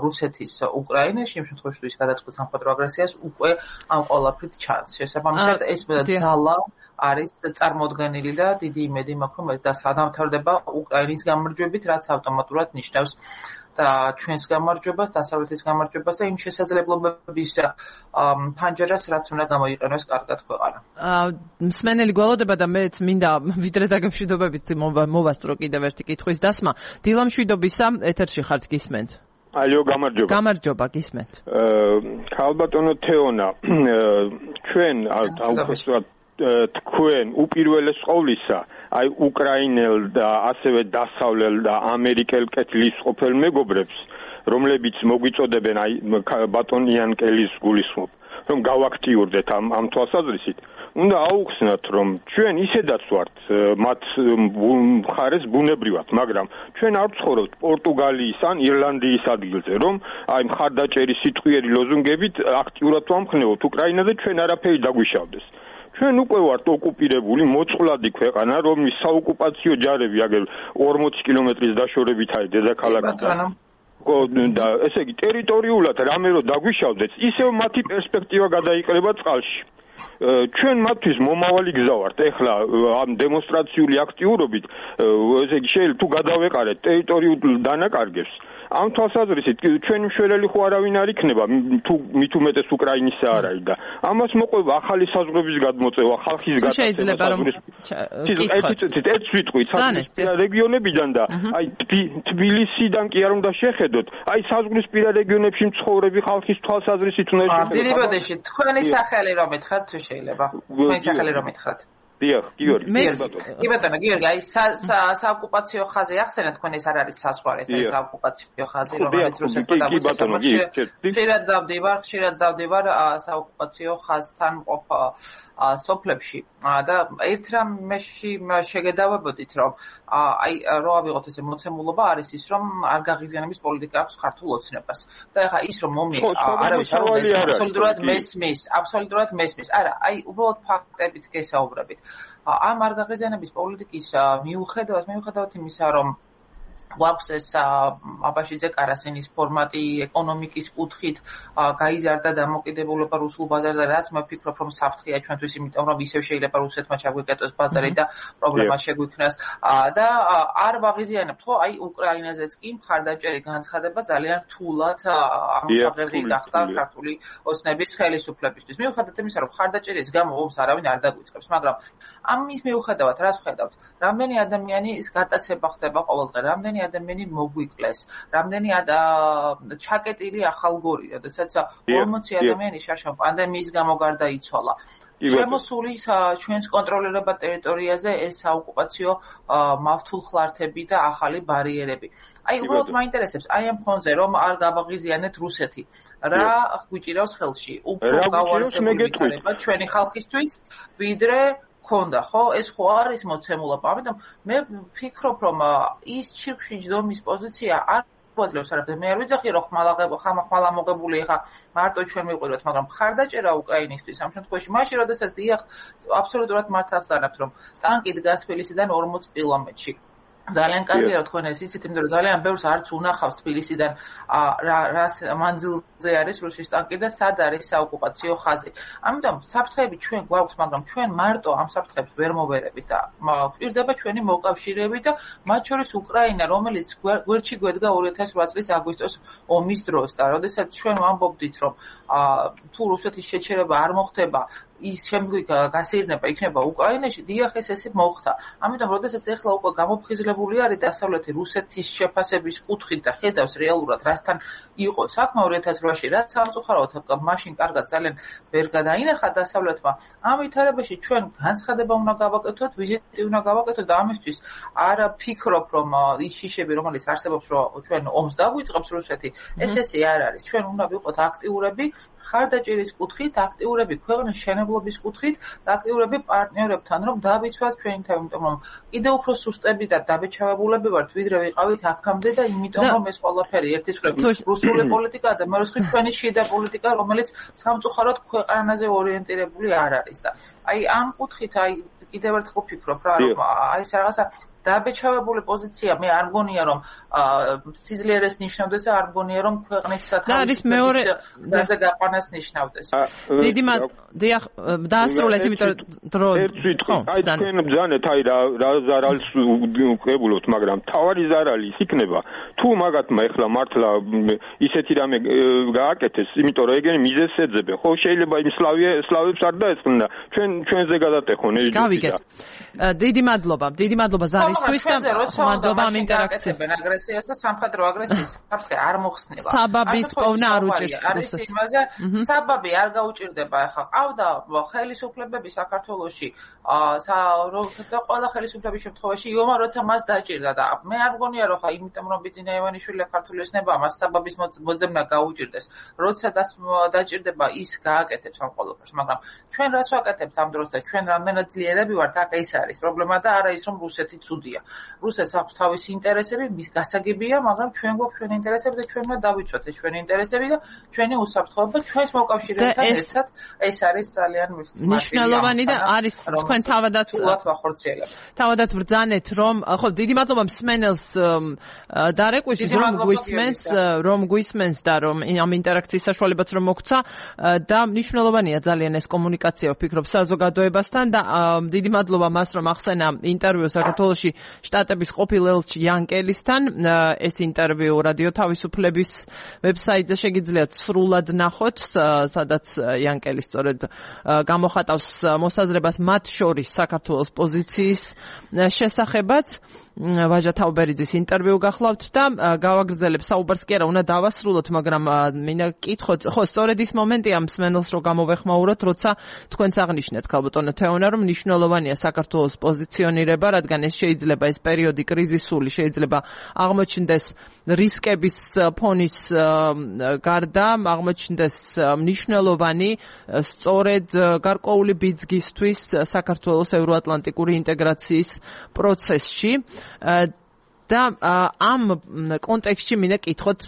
რუსეთის უკრაინაში, იმ შემთხვევაში, თუ ის გადაწყვეტს სამხედრო აგრესიას, უკვე ამ ყველაფრით ჩანს. შესაბამისად, ეს ძალა არის წარმოდგენილი და დიდი იმედი მაქვს, რომ ეს დასადამთავრდება უკრაინის გამარჯვებით, რაც ავტომატურად ნიშნავს და ჩვენს გამარჯვებას, დასავლეთის გამარჯვებას და იმ შესაძლებლობების ფანჯარას, რაც უნდა გამოიყენოს კარგად ქვეყანა. მსმენელი გვალოდება და მეც მინდა ვიდრე დაგემშვიდობებით მოვასწრო კიდევ ერთი კითხვის დასმა. დილამშვიდობისა, ეთერში ხართ, გისმენთ. ალო, გამარჯობა. გამარჯობა, გისმენთ. ქალბატონო თეონა, ჩვენ აუცილებლად თქვენ უპირველეს ყოვლისა, აი უკრაინელ და ასევე დასავლელ და ამერიკელ კეთილის ყოფილ მეგობრებს, რომლებიც მოგვიწოდებენ აი ბატონ იანკელის გულისხმობ, რომ გავაქტიურდეთ ამ თვალსაზრისით. უნდა აუხსნათ, რომ ჩვენ ისედაც ვართ მათ მხარეს ბუნებრივად, მაგრამ ჩვენ არ ვცხოვრობთ პორტუგალიის ან ირლანდიის ადგილზე, რომ აი მხარდაჭერის სიტყვიერი ლოზუნგებით აქტიურად ვამხნევოთ უკრაინაზე, ჩვენ არაფერი დაგვიშავდეს. ჩვენ უკვე ვართ ოკუპირებული მოწყვლადი ქვეყანა, რომლის საოკუპაციო ჯარები აგერ 40 კილომეტრის დაშორებით არის დედაქალაქიდან. და ესე იგი ტერიტორიულად რამე რო დაგვიშავდეს, ისევ მათი პერსპექტივა გადაიყრება წყალში. ჩვენ მათთვის მომავალი გზა ვართ. ეხლა ამ დემონსტრაციული აქტიურობით, ესე იგი შეიძლება თუ გადავეყარეთ ტერიტორიულ დანაკარგებს, ამ თვალსაზრისით ჩვენი მშველელი ხო არავინ არ იქნება, თუ მით უმეტეს უკრაინისა არ არის და ამას მოყვება ახალი საზღვრების გადმოწევა, ხალხის გადაცემა. შეიძლება რომ ერთ სიტყვით საზღვრისპირა რეგიონებიდან და აი თბილისიდან კი არ უნდა შეხედოთ, აი საზღვრისპირა რეგიონებში მცხოვრები ხალხის თვალსაზრისით უნდა შეხედოთ. დილიბოდეში თქვენი სახელი რომ ეთქრათ თუ შეიძლება? თქვენი სახელი რომ ეთქრათ? დიახ, გიორგი. კი ბატონო, გიორგი, აი საოკუპაციო ხაზი ახსენა თქვენ ეს არ არის საზღვარი, ეს არის საოკუპაციო ხაზი, რომელიც რუსეთმა დაგვიწევს. ხშირად დავდივარ საოკუპაციო ხაზთან მყოფ სოფლებში და ერთ რამეში შეგედავებოდით, რომ აი რო ავიღოთ ესე მოცემულობა არის ის, რომ არ გაღიზიანების პოლიტიკა აქვს ქართულ ოცნებას. და ეხლა ის რომ არავის აბსოლუტურად მესმის. არა, აი უბრალოდ ფაქტებით გესაუბრებით. ამ არ გაღიზიანების პოლიტიკის მიუხედავად იმისა, რომ გვაქვს ეს აბაშიძე კარასინის ფორმატი ეკონომიკის კუთხით გაიზარდა დამოკიდებულება რუსულ ბაზარზე, რაც მე ვფიქრობ, რომ საფრთხეა ჩვენთვის, იმიტომ რომ ისევ შეიძლება რუსეთმა ჩაგვიკეტოს ბაზარი და პრობლემა შეგვიქმნას და არ ვაღიზიანებთ, ხო? აი უკრაინაზეც კი მხარდაჭერი განცხადება ძალიან რთულად ამსაღები გახდა ქართული ოცნების ხელისუფლებისთვის. მიუხედავად იმისა, რომ მხარდაჭერის გამო ომს არავინ არ დაგვიწყებს, მაგრამ ამის მიუხედავად რას ვხედავთ? რამდენი ადამიანის გატაცება ხდება ყოველდღე, რამდენი ადამიანი მოგვიკლეს, რამდენი ჩაკეტილი ახალგორი, როდესაც 40 ადამიანი შარშან პანდემიის გამო გარდაიცვალა. შემოსული ჩვენს კონტროლირებად ტერიტორიაზე ეს საოკუპაციო მავთულხლართები და ახალი ბარიერები. აი უბრალოდ მაინტერესებს აი ამ ფონზე რომ არ გავაღიზიანეთ რუსეთი. რა გვიჭირავს ხელში? უფრო გავარსებული იქნება ჩვენი ხალხისთვის, ვიდრე ქონდა, ხო? ეს ხო არის მოცემულობა. ამიტომ მე ვფიქრობ, რომ ის ჩირკში ჯდომის პოზიცია არ გვაძლევს არაფერს. მე არ ვიძახი, რომ ხმალა მოგებული ხა მარტო ჩვენ მივყვიროთ, მაგრამ მხარდაჭერა უკრაინისთვის ამ შემთხვევაში მაშინ, როდესაც დიახ, აბსოლუტურად მართავს არაფერს, რომ ტანკი დგას თბილისიდან 40 კილომეტრში. ძალიან კარგია რომ თქვენ ეს იცით, იმიტომ რომ ძალიან ბევრს არც უნახავს თბილისიდან რას მანძილზე არის რუსის ტანკი და სად არის საოკუპაციო ხაზი. ამიტომ საფრთხეები ჩვენ გვაქვს, მაგრამ ჩვენ მარტო ამ საფრთხეებს ვერ მოვერებით და გვჭირდება ჩვენი მოკავშირეები და მათ შორის უკრაინა, რომელიც გვერდში გვედგა 2008 წლის აგვისტოს ომის დროს და როდესაც ჩვენ ვამბობდით, რომ თუ რუსეთის შეჩერება არ მოხდება, ის შემდგომი გასეირნება იქნება უკრაინაში, დიახ ეს ესე მოხდა. ამიტომ როდესაც ეხლა უკვე გამოფხიზლებული არის დასავლეთი რუსეთის შეფასების კუთხით და ხედავს რეალურად რასთან იყო საქმე 2008-ში, რაც სამწუხაროდ მაშინ კარგად ძალიან ვერ გადაინახა დასავლეთმა. ამ ვითარებაში ჩვენ განცხადება უნდა გავაკეთოთ, ვიზიტი უნდა გავაკეთოთ და ამისთვის არ ფიქრობ, რომ ის შიშები, რომელიც არსებობს, რომ ჩვენ ომს დაგვიწყებს რუსეთი, ესე არ არის. ჩვენ უნდა ვიყოთ აქტიურები ხარდაჭერის კუთხით, აქტიურები ქვეყნის შენებლობის კუთხით და აქტიურები პარტნიორებთან, რომ დავიცვათ ჩვენი თავი, იმიტომ რომ კიდევ უფრო სუსტები და დაბეჭავებულები ვართ, ვიდრე ვიყავით აქამდე და იმიტომ რომ ეს ყველაფერი ერთის მხრივ რუსული პოლიტიკა და მეორე მხრივ ჩვენი შიდა პოლიტიკა, რომელიც სამწუხაროდ ქვეყანაზე ორიენტირებული არ არის და აი ამ კუთხით აი კიდევ ერთხელ ვფიქრობ რა, რომ აი ეს რაღაცა დაბეჭდავებული პოზიცია მე არ მგონია რომ სიძლიერეს ნიშნავდეს და არ მგონია რომ ქვეყნის სათავეზე გაყვანას ნიშნავდეს. დიდი დიახ დაასრულეთ იმიტომ დრო აი თქვენ ბძანეთ აი რა ზარალს უყებულობთ მაგრამ თავარი ზარალი ის იქნება თუ მაგათმა ეხლა მართლა ისეთი რამე გააკეთეს იმიტომ რომ ეგენი მიზეზს ეძებენ ხო შეიძლება იმ სლავებს არ დაეწყნდა ჩვენზე გადატეხონ ეს გავიგეთ დიდი მადლობა ზარისთვის და მადლობა ამ ინტერაქციას აგრესიას და სამხედრო აგრესიის საფრთხე არ მოხსნება საბაბის პოვნა არ უჭირს არის იმაზე საბაბი არ გაუჭირდება ახლა ყავდა ხელისუფლებები საქართველოში და ყველა ხელისუფლების შემთხვევაში იომა როცა მას დაჭირდა და მე არ მგონია რომ ხა იმიტომ რომ ბიძინა ივანიშვილი ქართული ოცნება მას საბაბის მოძებნა გაუჭირდეს როცა დაჭირდება ის გააკეთებს ამ ყველაფერს მაგრამ ჩვენ რაც ვაკეთებთ ამ დროს და ჩვენ რამდენად ძლიერები ვართ აქ ეს არის პრობლემა და არა ის რომ რუსეთი ცუდია რუსეთს აქვს თავისი ინტერესები მის გასაგებია მაგრამ ჩვენ გვაქვს ჩვენი ინტერესები და ჩვენ უნდა დავიცვათ ეს ჩვენი ინტერესები და ჩვენი უსაფრთხოება ჩვენს მოკავშირეებთან ერთად ეს არის ძალიან მნიშვნელოვანი და არის თქვენ თავადაც ბრძანეთ რომ ხო დიდი მადლობა მსმენელს დარეკვისთვის რომ გვისმენს და რომ ამ ინტერაქციის საშუალებაც რომ მოგცა და მნიშვნელოვანია ძალიან ეს კომუნიკაცია ვფიქრობ საზოგადოებასთან და დიდი მადლობა მას რომ ახსენა ინტერვიუ საქართველოში შტატების ყოფილ ელჩი იან კელისთან ეს ინტერვიუ რადიო თავისუფლების ვებსაიტზე შეგიძლიათ სრულად ნახოთ სადაც იან კელი სწორედ გამოხატავს მოსაზრებას მათ შორის საქართველოს პოზიციის შესახებაც ვაჟა თაუბერიძის ინტერვიუ გახლავთ და გავაგრძელებ საუბარს კი არა უნდა დავასრულოთ მაგრამ მინდა გკითხოთ ხო სწორედ ის მომენტია მსმენელს რომ გამოვეხმაუროთ როცა თქვენც აღნიშნეთ ქალბატონო თეონა რომ მნიშვნელოვანია საქართველოს პოზიციონირება რადგან ეს შეიძლება ეს პერიოდი კრიზისული შეიძლება აღმოჩნდეს რისკების ფონის გარდა აღმოჩნდეს მნიშვნელოვანი სწორედ გარკვეული ბიძგისთვის საქართველოს ევროატლანტიკური ინტეგრაციის პროცესში და ამ კონტექსტში მინდა გკითხოთ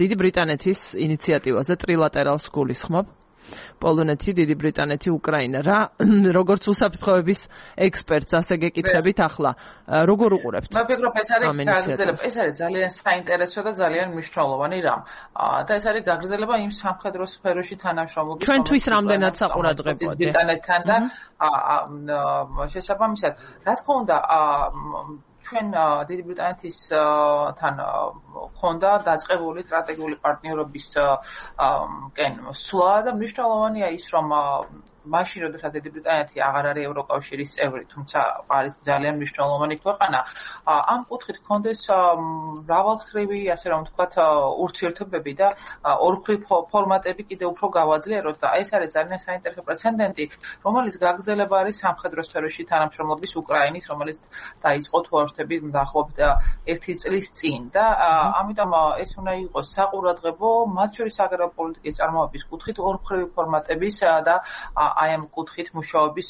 დიდი ბრიტანეთის ინიციატივაზე ტრილატერალს გულისხმობ პოლონეთი, დიდი ბრიტანეთი, უკრაინა რა როგორც უსაფრთხოების ექსპერტს ასე გეკითხებით ახლა როგორ უყურებთ? მე ვფიქრობ ეს არის ძალიან საინტერესო და ძალიან მნიშვნელოვანი რამ და ეს არის გაგრძელება იმ სამხედრო სფეროში თანამშრომლობის ჩვენთვის რამდენად საყურადღებოა ბრიტანეთთან და შესაბამისად რა თქმა უნდა ჩვენ დიდი ბრიტანეთის თან ხონდა დაწყებული სტრატეგიული პარტნიორობის სვლა და მნიშვნელოვანია ის რომ მაშინ როდესაც დიდი ბრიტანეთი აღარ არის ევროკავშირის წევრი, თუმცა არის ძალიან მნიშვნელოვანი ქვეყანა, ამ კუთხით ჰქონდეს მრავალმხრივი, ასე რომ ვთქვათ, ურთიერთობები და ორმხრივ ფორმატები კიდევ უფრო გავაძლიეროთ და ეს არის ძალიან საინტერესო პრეცედენტი, რომელიც გაგრძელება არის სამხედრო სფეროში თანამშრომლობის უკრაინის, რომელიც დაიწყო თუ არ ვშთები დაახლოებით 1 წლის წინ და ამიტომ ეს უნდა იყოს საყურადღებო, მათ შორის აგრარული პოლიტიკის წარმოების კუთხით ორმხრივი ფორმატების და აი ამ კუთხით მუშაობის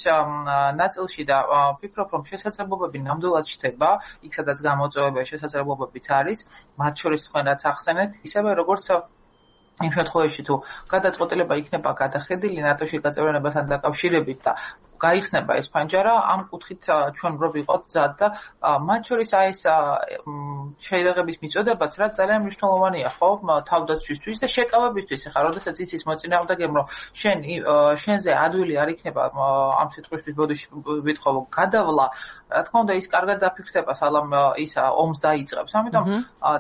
ნაწილში და ვფიქრობ რომ შესაძლებლობები ნამდვილად ჩდება, იქ სადაც გამოწვევები შესაძლებლობებიც არის, მათ შორის თქვენ რაც ახსენეთ, ისევე როგორც იმ შემთხვევაში თუ გადაწყვეტილება იქნება გადახედილი ნატოში გაწევრიანებასთან დაკავშირებით და გაიხსნება ეს ფანჯარა, ამ კუთხით ჩვენ რო ვიყოთ მზად და მათ შორის აი ეს შეერაღების მიწოდებაც რაც ძალიან მნიშვნელოვანია, ხო, თავდაცვისთვის და შეკავებისთვის. ახლა როდესაც იცის მოწინააღმდეგემ რომ შენზე ადვილი არ იქნება ამ სიტყვისთვის ბოდიში ვითხოვო გადავლა, რა თქმა უნდა ის კარგად დაფიქსდება სალამ ის ომს დაიწყებს. ამიტომ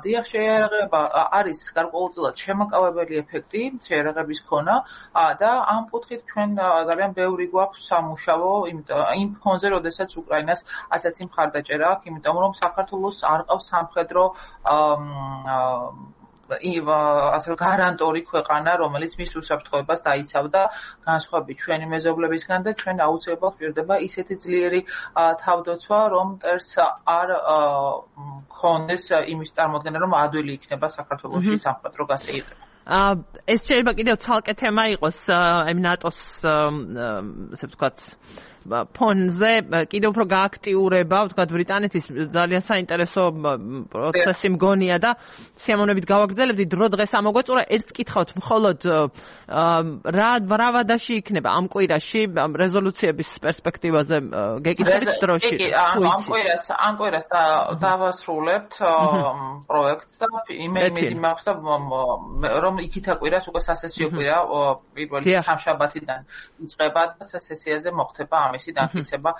დიახ შეერაღება არის გარკვეულწილად შემაკავებელი ეფექტი შეერაღების ქონა და ამ კუთხით ჩვენ ძალიან ბევრი გვაქვს სამუშაო იმ ფონზე, როდესაც უკრაინას ასეთი მხარდაჭერა აქვს, იმიტომ რომ საქართველოს არ ყავს სამხედრო ასე გარანტორი ქვეყანა, რომელიც მის უსაფრთხოებას დაიცავდა განსხვავებით ჩვენი მეზობლებისგან და ჩვენ აუცილებლად გვჭირდება ისეთი ძლიერი თავდაცვა, რომ მტერს არ ქონდეს იმის წარმოქმნა, რომ ადვილი იქნება საქართველოში სამხედრო გასეირნება. ეს შეიძლება კიდევ ცალკე თემა იყოს, აი ნატოს ასე ვთქვათ ფონზე კიდევ უფრო გააქტიურება, ვთქვათ, ბრიტანეთის ძალიან საინტერესო პროცესი მგონია და სიამოვნებით გავაგრძელებდი დრო დღეს ამოგვეწურა ერთს კითხავთ მხოლოდ რა ვადაში იქნება ამ კვირაში რეზოლუციების პერსპექტივაზე გეკითხებით დროში. ამ კვირას დავასრულებთ პროექტს და იმედი მაქვს და რომ იქითა კვირას უკვე სასესიო კვირა პირველი სამშაბათიდან იწყება და სასესიაზე მოხდება ამისი დამტკიცება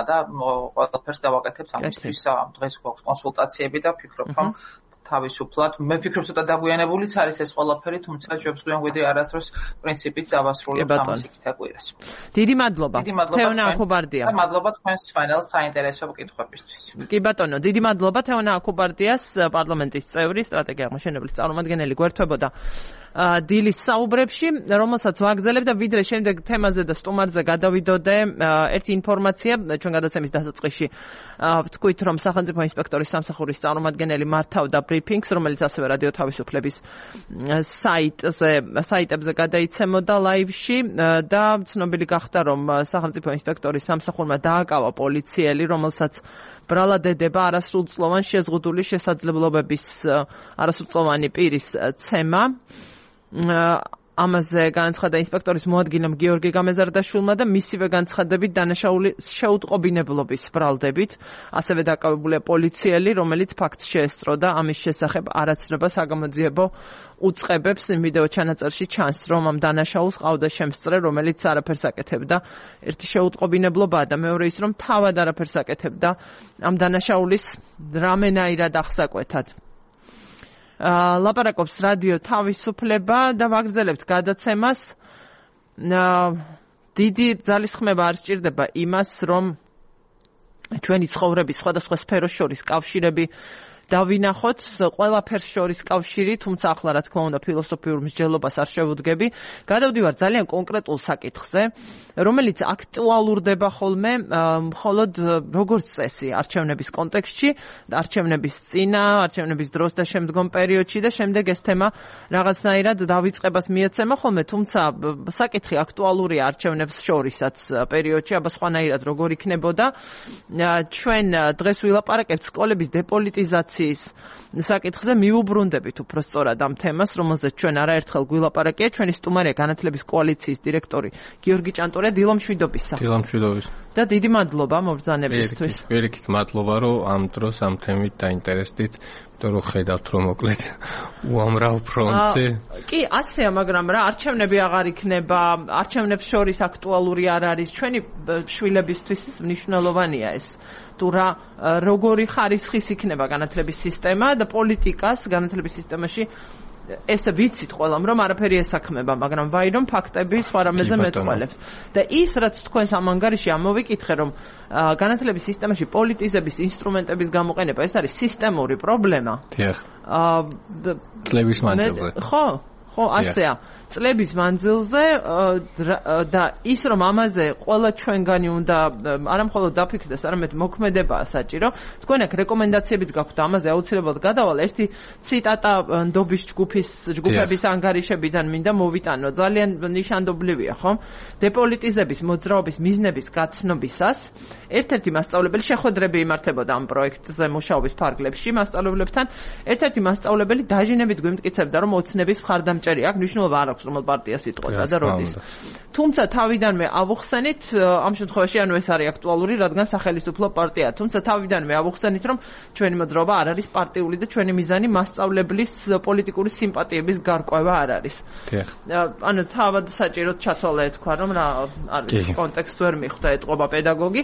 და ყველაფერს დავაკეთებთ ამისთვის დღეს გვაქვს კონსულტაციები და ვფიქრობ რომ თავისუფლად მე ვფიქრობ ცოტა დაგვიანებულიც არის ეს ყველაფერი თუმცა ჯობს გვიდი არასდროს პრინციპით დავასრულებთ ამას იქითა კვირას. დიდი მადლობა. თეონა აკუბარდია. მადლობა თქვენს ფაინალ საინტერესო კითხვებისთვის. კი ბატონო, დიდი მადლობა თეონა აკუბარდიას პარლამენტის წევრი სტრატეგია აღმაშენებლის წარმომადგენელი გვერდებოდა დილის საუბრებში, რომელსაც ვაგრძელებ და ვიდრე შემდეგ თემაზე და სტუმარზე გადავიდოდე ერთი ინფორმაცია ჩვენ გადაცემის დასაწყისში ვთქვით რომ სახელმწიფო ინსპექტორის სამსახურის წარმომადგენელი მართავდა ბრიფინგს, რომელიც ასევე რადიო თავისუფლების საიტებზე გადაიცემოდა ლაივში და ცნობილი გახდა რომ სახელმწიფო ინსპექტორის სამსახურმა დააკავა პოლიციელი, რომელსაც ბრალადედება არასრულწლოვან შეზღუდული შესაძლებლობების არასრულწლოვანი პირის ცემა. ამაზე განაცხადა ინსპექტორის მოადგილემ გიორგი გამეზარდაშვილმა და მისივე განცხადებით დანაშაული შეუტყობინებლობის ბრალდებით, ასევე დაკავებულია პოლიციელი, რომელიც ფაქტს შეესწრო და ამის შესახებ არაცნობა საგამოძიებო უწყებებს. ვიდეო ჩანაწერში ჩანს, რომ ამ დანაშაულს ყავდა შემსწრე, რომელიც არაფერს აკეთებდა. ერთი შეუტყობინებლობაა და მეორე ის, რომ თავად არაფერს აკეთებდა ამ დანაშაულის რამენაირად აღსაკვეთად. ლაპარაკობს რადიო თავისუფლება და ვაგრძელებთ გადაცემას. დიდი ძალისხმევა არ სჭირდება იმას, რომ ჩვენი ცხოვრების სხვადასხვა სფეროს შორის კავშირები დავინახოთ, ყველაფერს შორის კავშირი, თუმცა ახლა რა თქმა უნდა ფილოსოფიურ მსჯელობას არ შევუდგები. გადავდივარ ძალიან კონკრეტულ საკითხზე, რომელიც აქტუალურდება ხოლმე მხოლოდ როგორც წესი არჩევნების კონტექსტში, არჩევნების წინა, არჩევნების დროს და შემდგომ პერიოდში და შემდეგ ეს თემა რაღაცნაირად დავიწყებას მიეცემა ხოლმე, თუმცა საკითხი აქტუალურია არჩევნებს შორისაც პერიოდში, აბა სხვანაირად როგორ იქნებოდა. ჩვენ დღეს ვილაპარაკებთ სკოლების დეპოლიტიზაციის საკითხზე მივუბრუნდებით უფრო სწორად ამ თემას, რომელზეც ჩვენ არაერთხელ გვილაპარაკია. ჩვენი სტუმარია განათლების კოალიციის დირექტორი გიორგი ჭანტურია. დილამშვიდობისა. დილამშვიდობის. და დიდი მადლობა მობრძანებისთვის. პირიქით მადლობა, რომ ამ დროს ამ თემით დაინტერესდით, იმიტომ რომ ხედავთ, რომ მოკლედ უამრავ ფრონტზე. კი, ასეა, მაგრამ რა არჩევნები აღარ იქნება, არჩევნებს შორის აქტუალური არ არის. ჩვენი შვილებისთვის მნიშვნელოვანია ეს. თუ რა როგორი ხარისხის იქნება განათლების სისტემა და პოლიტიკას განათლების სისტემაში ესე ვიცით ყველამ რომ არაფერი ესაქმება, მაგრამ ვაი რომ ფაქტები სხვა რამეზე მეტყველებს. და ის რაც თქვენს ამ ანგარიში ამოვიკითხე, რომ განათლების სისტემაში პოლიტიზების ინსტრუმენტების გამოყენება ეს არის სისტემური პრობლემა. დიახ. წლების მანძილზე. ხო, ასეა. წლების მანძილზე და ის რომ ამაზე ყველა ჩვენგანი უნდა არა მხოლოდ დაფიქრდეს, არამედ მოქმედებაა საჭირო. თქვენ აქ რეკომენდაციებიც გაქვთ ამაზე აუცილებლად გადავალ. ერთი ციტატა ნდობის ჯგუფების ანგარიშებიდან მინდა მოვიტანო. ძალიან ნიშანდობლივია, ხო? დეპოლიტიზების მოძრაობის მიზნების გაცნობისას ერთ-ერთი მასწავლებელი შეხვედრები იმართებოდა ამ პროექტზე მუშაობის ფარგლებში მასწავლებლებთან. ერთ-ერთი მასწავლებელი დაჟინებით გვიმტკიცებდა, რომ ოცნების მხარდამჭერი აქვს, მნიშვნელობა არ აქვს რომელ პარტიას იტყოდა და როდის. თუმცა თავიდანვე ავუხსენით, ამ შემთხვევაში ანუ ეს არის აქტუალური, რადგან სახელმწიფო პარტია. თუმცა თავიდანვე ავუხსენით, რომ ჩვენი მოძრაობა არ არის პარტიული და ჩვენი მიზანი მასწავლებლის პოლიტიკური სიმპათიების გარკვევა არ არის. ანუ თავად საჭიროდ ჩათვალე თქვა, რომ რა არის კონტექსტ ვერ მიხვდა ეტყობა პედაგოგი.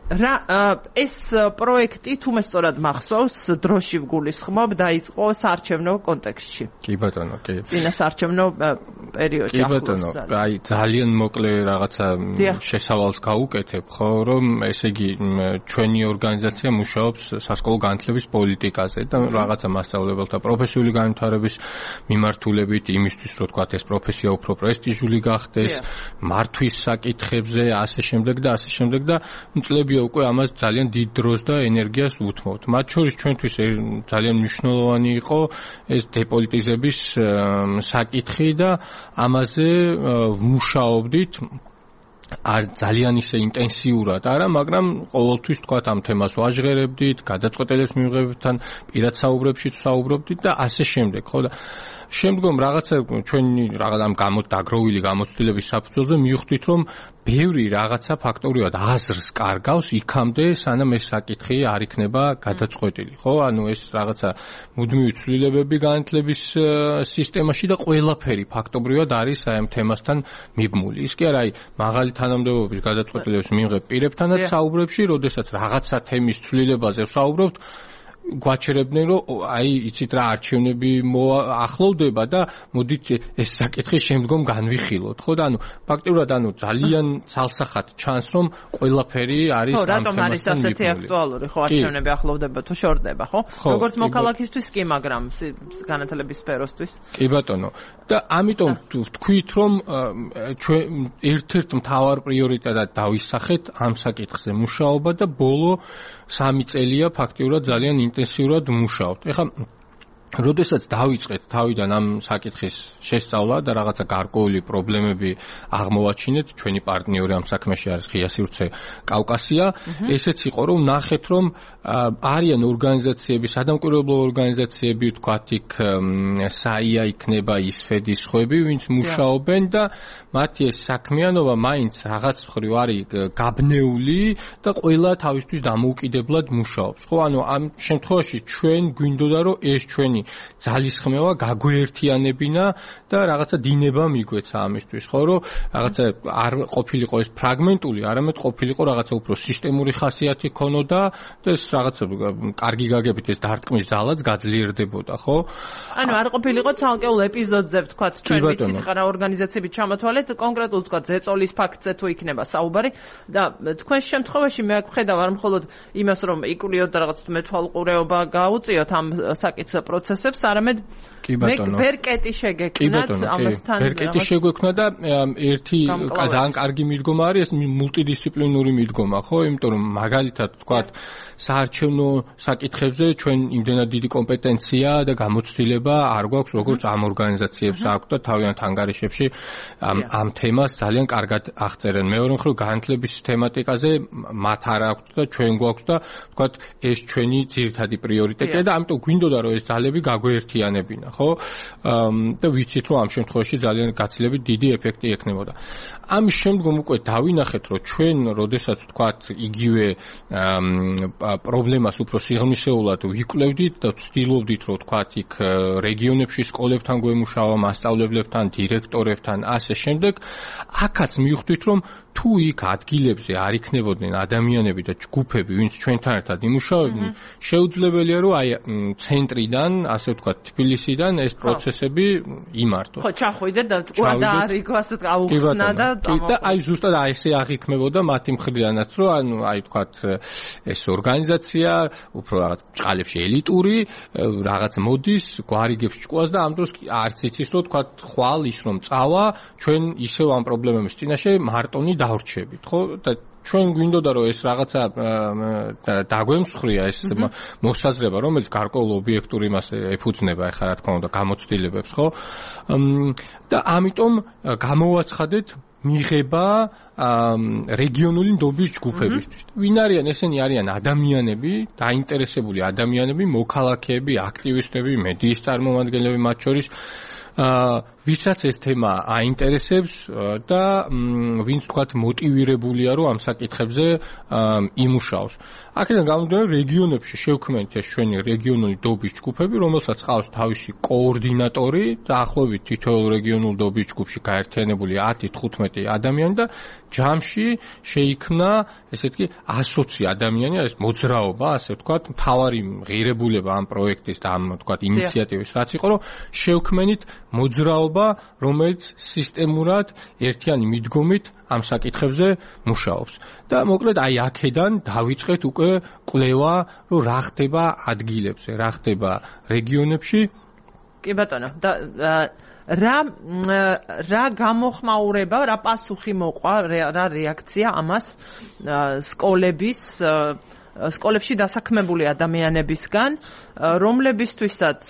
ეს პროექტი თუ მე სწორად მახსოვს, დროში ვგულისხმობ, დაიწყო საარჩევნო კონტექსტში. კი ბატონო, კი. წინა საარჩევნო პერიოდში. კი ბატონო, აი ძალიან მოკლე რაღაცა შესავალს გავუკეთებ, ხო, რომ ესე იგი ჩვენი ორგანიზაცია მუშაობს სასკოლო განათლების პოლიტიკაზე და რაღაცა მასწავლებელთა პროფესიული განვითარების მიმართულებით იმისთვის, რომ თქვა ეს პროფესია უფრო პრესტიჟული გახდეს, მართვის საკითხებზე, ასე შემდეგ და ასე შემდეგ და წლები უკვე ამას ძალიან დიდ დროს და ენერგიას უთმობთ. მათ შორის ჩვენთვის ძალიან მნიშვნელოვანი იყო ეს დეპოლიტიზების საკითხი და ამაზე ვმუშაობდით არ ძალიან ისე ინტენსიურად არა, მაგრამ ყოველთვის თქვა ამ თემას ვაჟღერებდით, გადაწყვეტილების მიღებებთან პირად საუბრებშიც საუბრობდით და ასე შემდეგ, ხო და შემდგომ რაღაცა ჩვენი რაღაც ამ დაგროვილი გამოცდილების საფუძველზე მივხვდით, რომ ბევრი რაღაცა ფაქტობრივად აზრს კარგავს იქამდე, სანამ ეს საკითხი არ იქნება გადაწყვეტილი, ხო? ანუ ეს რაღაცა მუდმივი ცვლილებები განათლების სისტემაში და ყველაფერი ფაქტობრივად არის აი ამ თემასთან მიბმული. ის კი არა, აი მაღალი თანამდებობის გადაწყვეტილების მიღებ პირებთანაც საუბრებში, როდესაც რაღაცა თემის ცვლილებაზე ვსაუბრობთ, გვაჩერებდნენ, რომ აი იცით რა არჩევნები ახლოვდება და მოდით ეს საკითხი შემდგომ განვიხილოთ, ხო და ანუ ფაქტობრივად ანუ ძალიან ცალსახად ჩანს, რომ ყველაფერი არის ამ თემასთან მიბმული. რატომ არის ასეთი აქტუალური, ხო, არჩევნები ახლოვდება თუ შორდება, ხო? როგორც მოქალაქისთვის კი, მაგრამ განათლების სფეროსთვის. კი ბატონო. და ამიტომ ვთქვით, რომ ჩვენ ერთ-ერთ მთავარ პრიორიტეტად დავისახეთ ამ საკითხზე მუშაობა და ბოლო 3 წელია ფაქტიურად ძალიან ინტენსიურად მუშაობთ. ეხლა როდესაც დავიწყეთ თავიდან ამ საკითხის შესწავლა და რაღაცა გარკვეული პრობლემები აღმოვაჩინეთ, ჩვენი პარტნიორი ამ საქმეში არის ღია სივრცე კავკასია, ესეც იყო, რომ ნახეთ, რომ არიან ორგანიზაციები, სადამკვირვებლო ორგანიზაციები, თქვათ იქ საია იქნება, ისფედის ხვები, ვინც მუშაობენ და მათი ეს საქმიანობა მაინც რაღაც მხრივ არის გაბნეული და ყველა თავისთვის დამოუკიდებლად მუშაობს. ხო, ანუ ამ შემთხვევაში ჩვენ გვინდოდა, რომ ეს ჩვენი ძალისხმევა გაგვეერთიანებინა და რაღაცა დინება მიგვეცა ამისთვის, ხო, რომ რაღაცა არ ყოფილიყო ეს ფრაგმენტული, არამედ ყოფილიყო რაღაცა უფრო სისტემური ხასიათი ქონოდა და ეს რაღაცა კარგი გაგებით ეს დარტყმის ძალაც გაძლიერდებოდა, ხო? ანუ არ ყოფილიყო ცალკეულ ეპიზოდზე ვთქვათ, ჩვენ ვიცით რა ორგანიზაციები ჩამოთვალეთ, კონკრეტულად ვთქვათ, ზეწოლის ფაქტზე თუ იქნება საუბარი და თქვენ შემთხვევაში მე ვხედავ არ მხოლოდ იმას, რომ იკულიოთ და რაღაც მეთვალყურეობა გაუწიოთ ამ საკითხ პროცესებს, არამედ ვერკეტი შეგექმნათ ამასთან. ვერკეტი შეგვექმნა და ერთი ძალიან კარგი მიდგომა არის ეს მულტიდისციპლინური მიდგომა, ხო? იმიტომ რომ მაგალითად ვთქვათ, საარჩევნო საკითხებზე ჩვენ იმდენად დიდი კომპეტენცია და გამოცდილება არ გვაქვს, როგორც ამ ორგანიზაციებს აქვს და თავიანთ ანგარიშებში ამ თემას ძალიან კარგად აღწერენ. მეორე მხრივ განათლების თემატიკაზე მათ არ აქვს და ჩვენ გვაქვს და ვთქვათ, ეს ჩვენი ძირითადი პრიორიტეტია და ამიტომ გვინდოდა რომ ეს ძალები გაგვეერთიანებინა, ხო? და ვიცით რომ ამ შემთხვევაში ძალიან გაცილებით დიდი ეფექტი ექნებოდა. ამის შემდგომ უკვე დავინახეთ, რომ ჩვენ, როდესაც ვთქვათ, იგივე პრობლემას უფრო სიღრმისეულად ვიკვლევდით და ვცდილობდით, რომ ვთქვათ, იქ რეგიონებში სკოლებთან გვემუშავა, მასწავლებლებთან, დირექტორებთან, ასე შემდეგ, აქაც მივხვდით, რომ თუ იქ ადგილებზე არ იქნებოდნენ ადამიანები და ჯგუფები, ვინც ჩვენთან ერთად იმუშავებდნენ, შეუძლებელია რომ აი ცენტრიდან, ასე ვთქვათ, თბილისიდან ეს პროცესები იმართოს. ხო, ჩახვიდეთ და დაარიგო, ასე აუხსნა და და აი ზუსტად აი ესე აღიქმებოდა მათი მხრიდანაც, რომ ანუ აი ვთქვათ, ეს ორგანიზაცია უფრო რაღაც ჭყალებში ელიტური, რაღაც მოდის, გვარიგებს ჭკუას და ამ დროს არც იცის რომ ვთქვათ, ხვალ ის რომ წავა, ჩვენ ისევ ამ პრობლემების წინაშე მარტონი დავრჩებით, ხო? და ჩვენ გვინდოდა რომ ეს რაღაცა დაგვემსხვრია ეს მოსაზრება, რომელიც გარკვეულ ობიექტურ იმას ეფუძნება, ეხლა რა თქმა უნდა, გამოცდილებებს, ხო? და ამიტომ გამოვაცხადეთ მიღება რეგიონული ნდობის ჯგუფებისთვის. ვინ არიან? ესენი არიან ადამიანები, დაინტერესებული ადამიანები, მოქალაქეები, აქტივისტები, მედიის წარმომადგენლები მათ შორის, ვისაც ეს თემა აინტერესებს და ვინც თქვათ მოტივირებულია რომ ამ საკითხებზე იმუშაოს. აქედან გამომდინარე რეგიონებში შევქმნით ეს ჩვენი რეგიონული ნდობის ჯგუფები, რომელსაც ყავს თავისი კოორდინატორი, დაახლოებით თითოეულ რეგიონულ ნდობის ჯგუფში გაერთიანებული 10-15 ადამიანი და ჯამში შეიქმნა ესეთი 120 ადამიანი, ეს მოძრაობა, ასე ვთქვათ, მთავარი ღირებულება ამ პროექტის და ამ ვთქვათ ინიციატივის რაც იყო, რომ შევქმნით მოძრაობა, რომელიც სისტემურად ერთიანი მიდგომით ამ საკითხებზე მუშაობს. და მოკლედ აი აქედან დავიწყეთ უკვე კვლევა, რომ რა ხდება ადგილებზე, რა ხდება რეგიონებში. კი ბატონო, და რა გამოხმაურება, რა პასუხი მოყვა, რა რეაქცია ამას სკოლების სკოლებში დასაქმებული ადამიანებისგან, რომლებისთვისაც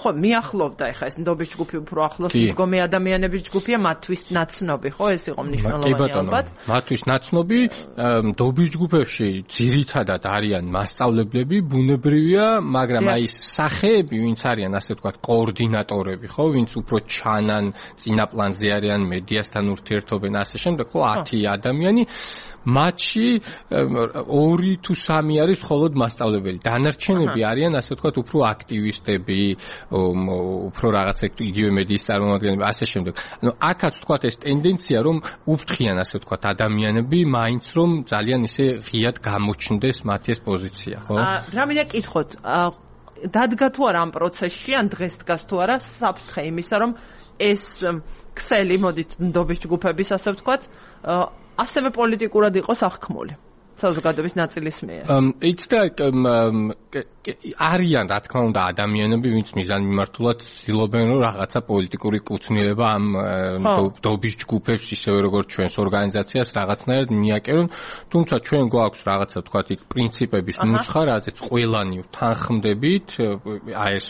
ხო მიახლოვდა ეხა ეს ნდობის ჯგუფი უფრო ახლოს მდგომი ადამიანების ჯგუფია, მათთვის ნაცნობი, ხო, ეს იყო მნიშვნელოვანი ალბათ. მათთვის ნაცნობი ნდობის ჯგუფებში ძირითადად არიან მასწავლებლები, ბუნებრივია, მაგრამ აი სახეები, ვინც არიან ასე ვთქვათ, კოორდინატორები, ხო, ვინც უფრო ჩანან, წინაპლანზე არიან, მედიასთან ურთიერთობენ, ასე შემდეგ, ხო, 10 ადამიანი მათში 2 თუ 3 არის მხოლოდ მასწავლებელი. დანარჩენები არიან ასე ვთქვათ უფრო აქტივისტები, უფრო რაღაცა იგივე მედიის წარმომადგენლები, ასე შემდეგ. ანუ აქაც ვთქვათ ეს ტენდენცია რომ უფრთხიან ასე ვთქვათ ადამიანები, მაინც რომ ძალიან ისე ღიად გამოჩნდეს მათი ეს პოზიცია, ხო? რა მინდა კითხოთ, დადგა თუ არა ამ პროცესში, ან დღეს დგას თუ არა საფრთხე იმისა, რომ ეს ქსელი მოდით ნდობის ჯგუფების ასე ვთქვათ ასევე პოლიტიკურად იყოს აღქმული საზოგადოების ნაწილის მიერ. იცი და არიან რა თქმა უნდა ადამიანები, ვინც მიზანმიმართულად ცდილობენ რომ რაღაცა პოლიტიკური კუთვნილება ამ ნდობის ჯგუფებს ისევე როგორც ჩვენს ორგანიზაციას რაღაცნაირად მიაკერონ, თუმცა ჩვენ გვაქვს რაღაცა თქვათ იქ პრინციპების ნუსხა, რაზეც ყველანი თანხმდებით, აი ეს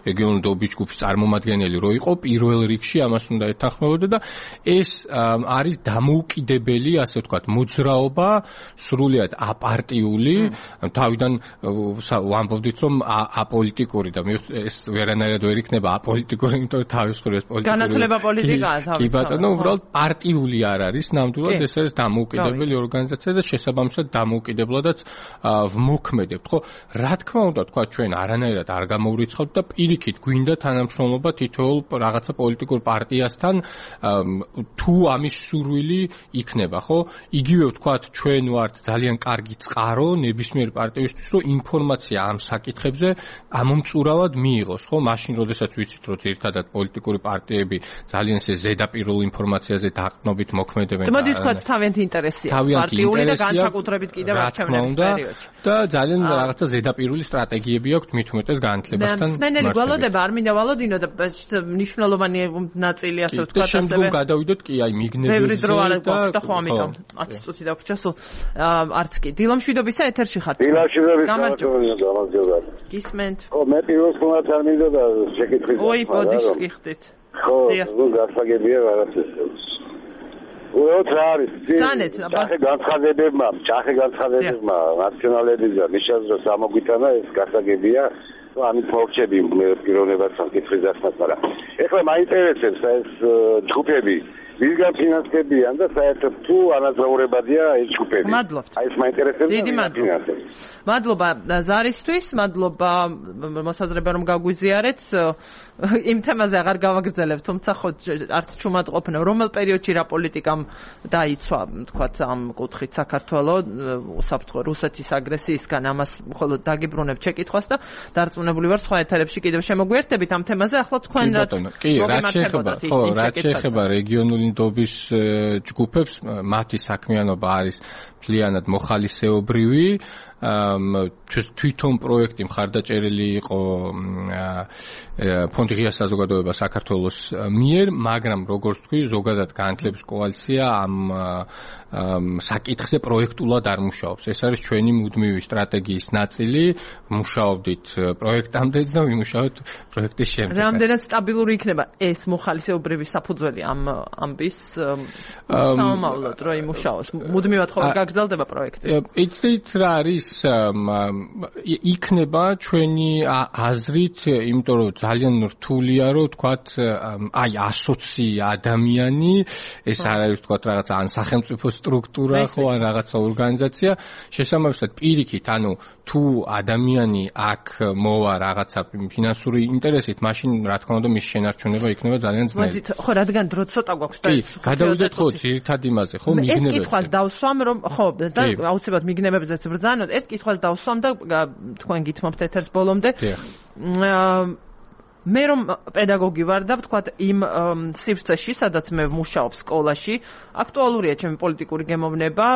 რეგიონული ნდობის ჯგუფის წარმომადგენელი რო იყო, პირველ რიგში ამას უნდა ეთანხმებოდა და ეს არის დამოუკიდებელი, ასე ვთქვათ, მოძრაობა, სრულიად აპარტიული, თავიდან ვამბობდით რომ აპოლიტიკური და ეს ვერანაირად ვერ იქნება აპოლიტიკური, იმიტომ რომ თავის მხრივ პოლიტიკური განათლება პოლიტიკაა თავის. კი ბატონო, უბრალოდ პარტიული არ არის, ნამდვილად ეს არის დამოუკიდებელი ორგანიზაცია და შესაბამისად დამოუკიდებლადაც ვმოქმედებთ, ხო? რა თქმა უნდა, თქვა ჩვენ არანაირად არ გამოვრიცხავთ და პირიქით გვინდა თანამშრომლობა თითოეულ რაღაცა პოლიტიკურ პარტიასთან, თუ ამის სურვილი იქნება, ხო? იგივე ვთქვათ, ჩვენ ვართ ძალიან კარგი წყარო ნებისმიერ პარტიისთვის, რომ ინფორმაცია ამ საკითხებზე ამომწურავად მიიღოს, ხო? მაშინ, როდესაც ვიცით, რომ ერთადად პოლიტიკური პარტიები ძალიან ესე ზედაპირულ ინფორმაციაზე დაყრდნობით მოქმედებენ. მოდი თქვათ, თავიანთი ინტერესია. პარტიული და განსაკუთრებით კიდევ არჩევნების პერიოდში. და ძალიან რაღაცა ზედაპირული სტრატეგიები აქვს მით უმეტეს განათლებასთან. მსმენელი გვალოდება, არ მინდა ვალოდინო და მნიშვნელოვანი ნაწილი ასე ვთქვათ, ასევე. შემდგომ გადავიდოთ კი აი მიგნებებზე. ბევრი დრო არ გვაქვს და ხო ამიტომ 10 წუთი დაგვრჩა სულ. არც კი დილამშვიდობისა ეთერში ხართ. დილამშვიდობისა გისმენთ. ხო, მე პირველ ხომაც არ მინდოდა შეკითხვის. ой, ბოდის გიხდით. ხო, ნუ გასაგებია რაღაცა. უბრალოდ რა არის? ძანეთ, განცხადებებმა ნაციონალების და მიშაზროს ამოგვიტანა ეს გასაგებია. ამით მოვჩები პიროვნებას საკითხის დასმას, მაგრამ ეხლა მაინტერესებს ეს ჯგუფები ვისგან ფინანსდებიან და საერთოდ თუ ანაზღაურებადია ეს ჯგუფები. მადლობთ. აი ეს მაინტერესებს. დიდი მადლობა ზარისთვის, მადლობა მოსაზრება რომ გაგვიზიარეთ. იმ თემაზე აღარ გავაგრძელებ, თუმცა ხო არც ჩუმატყოფნა რომელ პერიოდში რა პოლიტიკამ დაიცვა, თქვათ ამ კუთხით საქართველოს უსაფრთხო რუსეთის აგრესიისგან, ამას მხოლოდ დაგიბრუნებ შეკითხვას და დარწმუნებული ვარ სხვა ეთერებში კიდევ შემოგვიერთდებით ამ თემაზე. ახლა თქვენ რაც შეეხება რეგიონული ნდობის ჯგუფებს, მათი საქმიანობა არის მთლიანად მოხალისეობრივი. თვითონ პროექტი მხარდაჭერილი იყო ფონდი ღია საზოგადოება საქართველოს მიერ, მაგრამ როგორც თქვი, ზოგადად განათლების კოალიცია ამ საკითხზე პროექტულად არ მუშაობს. ეს არის ჩვენი მუდმივი სტრატეგიის ნაწილი. მუშაობდით პროექტამდე და ვიმუშაოთ პროექტის შემდეგ. რამდენად სტაბილური იქნება ეს მოხალისეობრივი საფუძველი ამ ამბის სამომავლოდ, რომ იმუშაოს? მუდმივად ხო გაგრძელდება პროექტი? იცით რა არის? იქნება ჩვენი აზრით, იმიტომ რომ ძალიან რთულია რომ თქვათ აი 120 ადამიანი, ეს არ არის თქვათ რაღაცა ან სახელმწიფო სტრუქტურა ხო ან რაღაცა ორგანიზაცია, შესაბამისად პირიქით, ანუ თუ ადამიანი აქ მოვა რაღაცა ფინანსური ინტერესით, მაშინ რა თქმა უნდა მის შენარჩუნება იქნება ძალიან ძნელი. მოდით, ხო, რადგან დრო ცოტა გვაქვს და გადავიდეთ ხო ძირითად იმაზე, ხო მიგნებებზე. ეს კითხვას დავსვამ, რომ ხო და აუცილებლად მიგნებებზეც ბრძანოთ. ერთ კითხვას დავსვამ და თქვენ გითმობთ ეთერს ბოლომდე. მე რომ პედაგოგი ვარ და ვთქვათ იმ სივრცეში, სადაც მე ვმუშაობ სკოლაში, აქტუალურია ჩემი პოლიტიკური გემოვნება,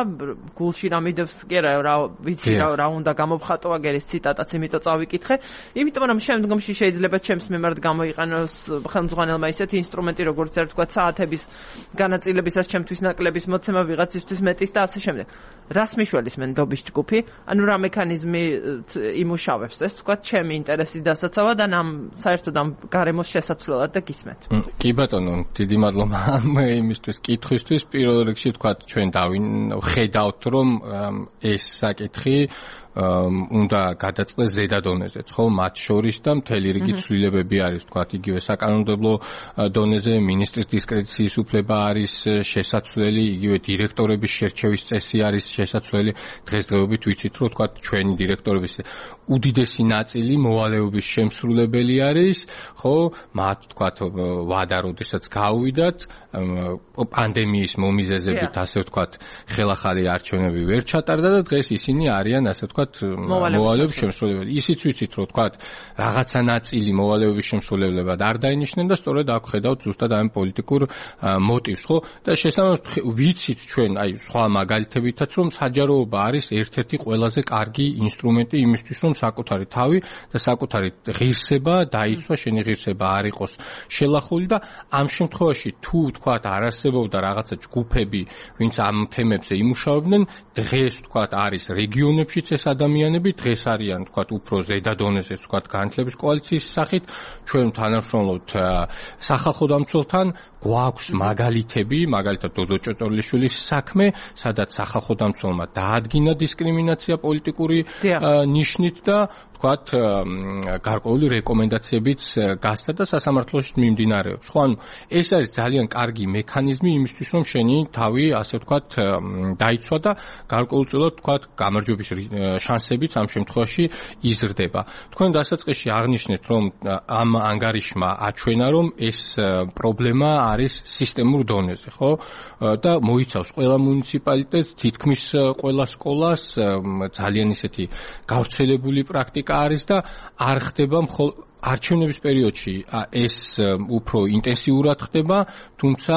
გულში რა მიდევს, კი რა ვიცი რა უნდა გამოვხატო აგერის ციტატაც, იმიტომ წავიკითხე. იმიტომ რომ შემდგომში შეიძლება ჩემს მიმართ გამოიყენოს ხელმძღვანელმა ისეთი ინსტრუმენტი, როგორც ერთ ვთქვათ საათების განაწილებისას ჩემთვის ნაკლების მოცემა ვიღაცისთვის მეტის და ასე შემდეგ. რას მიშველის მე ნდობის ჯგუფი? ანუ რა მექანიზმი იმუშავებს ეს, ვთქვათ, ჩემი ინტერესის დასაცავად და საერთოდ ამ გარემოს შესაცვლელად და გისმენთ. კი ბატონო, დიდი მადლობა იმისთვის კითხვისთვის. პირველ რიგში ვთქვათ, ჩვენ ხედავთ, რომ ეს საკითხი უნდა გადაწყდეს ზედა დონეზეც, ხო, მათ შორის და მთელი რიგი ცვლილებები არის, ვთქვათ, იგივე საკანონმდებლო დონეზე, მინისტრის დისკრეციის უფლება არის შესაძლებელი, იგივე დირექტორების შერჩევის წესი არის შესაძლებელი. დღესდღეობით ვიცით, რომ ვთქვათ, ჩვენი დირექტორების უდიდესი ნაწილი მოვალეობის შემსრულებელი არის, ხო, მათ ვთქვათ, ვადა როდესაც გავუვიდათ, პანდემიის მომიზეზებით, ასე ვთქვათ, ხელახალი არჩევნები ვერ ჩატარდა და დღეს ისინი არიან, ასე ვთქვათ, მოვალეობის შემსრულებელი. ისიც ვიცით, რომ ვთქვათ, რაღაცა ნაწილი მოვალეობის შემსრულებლებად არ დაინიშნენ და სწორედ აქ ხედავთ ზუსტად ამ პოლიტიკურ მოტივს, ხო? და შესაბამისად ვიცით ჩვენ, აი, სხვა მაგალითებითაც, რომ საჯაროობა არის ერთ-ერთი ყველაზე კარგი ინსტრუმენტი იმისთვის, რომ საკუთარი თავი და საკუთარი ღირსება დაიცვა, შენი ღირსება არ იყოს შელახული და ამ შემთხვევაში თუ ვთქვათ, არ არსებობდა რაღაცა ჯგუფები, ვინც ამ თემებზე იმუშავებდნენ, დღეს ვთქვათ, არის რეგიონებშიც ეს ადამიანები, დღეს არიან ვთქვათ, უფრო ზედა დონეზე ვთქვათ, განათლების კოალიციის სახით, ჩვენ თანამშრომლობთ სახალხო დამცველთან, გვაქვს მაგალითები, მაგალითად დოდო ჭოჭორლიშვილის საქმე, სადაც სახალხო დამცველმა დაადგინა დისკრიმინაცია პოლიტიკური ნიშნით და ვთქვათ, გარკვეული რეკომენდაციებიც გასცა და სასამართლოში მიმდინარეობს. ხო, ანუ ეს არის ძალიან კარგი მექანიზმი იმისთვის, რომ შენი თავი, ასე ვთქვათ, დაიცვა და გარკვეულწილად ვთქვათ, გამარჯვების შანსებიც ამ შემთხვევაში იზრდება. თქვენ დასაწყისში აღნიშნეთ, რომ ამ ანგარიშმა აჩვენა, რომ ეს პრობლემა არის სისტემურ დონეზე, ხო? და მოიცავს ყველა მუნიციპალიტეტს, თითქმის ყველა სკოლას, ძალიან ისეთი გავრცელებული პრაქტიკა არის და არ ხდება არჩევნების პერიოდში ეს უფრო ინტენსიურად ხდება, თუმცა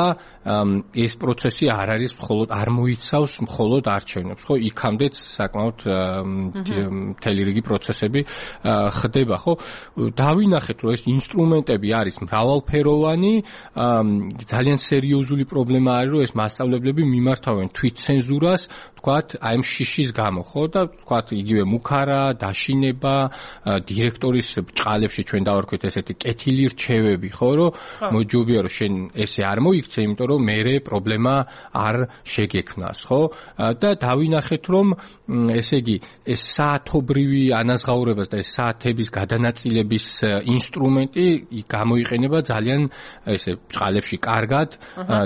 ეს პროცესი არ არის მხოლოდ არ მოიცავს მხოლოდ არჩევნებს, ხო? იქამდეც საკმაოდ მთელი რიგი პროცესები ხდება, ხო? დავინახეთ, რომ ეს ინსტრუმენტები არის მრავალფეროვანი, ძალიან სერიოზული პრობლემა არის, რომ ეს მასწავლებლები მიმართავენ თვითცენზურას, ვთქვათ, აი ამ შიშის გამო, ხო? და ვთქვათ, იგივე მუქარა, დაშინება, დირექტორის ბჭყალებში ჩვენ დავარქვით ესეთი კეთილი რჩევები, ხო, რომ მოჯობია რომ შენ ესე არ მოიქცე, იმიტომ რომ მერე პრობლემა არ შეგექმნას, ხო? და დავინახეთ, რომ ესე იგი, ეს საათობრივი ანაზღაურებას და ეს საათების გადანაწილების ინსტრუმენტი გამოიყენება ძალიან ესე ბჭყალებში კარგად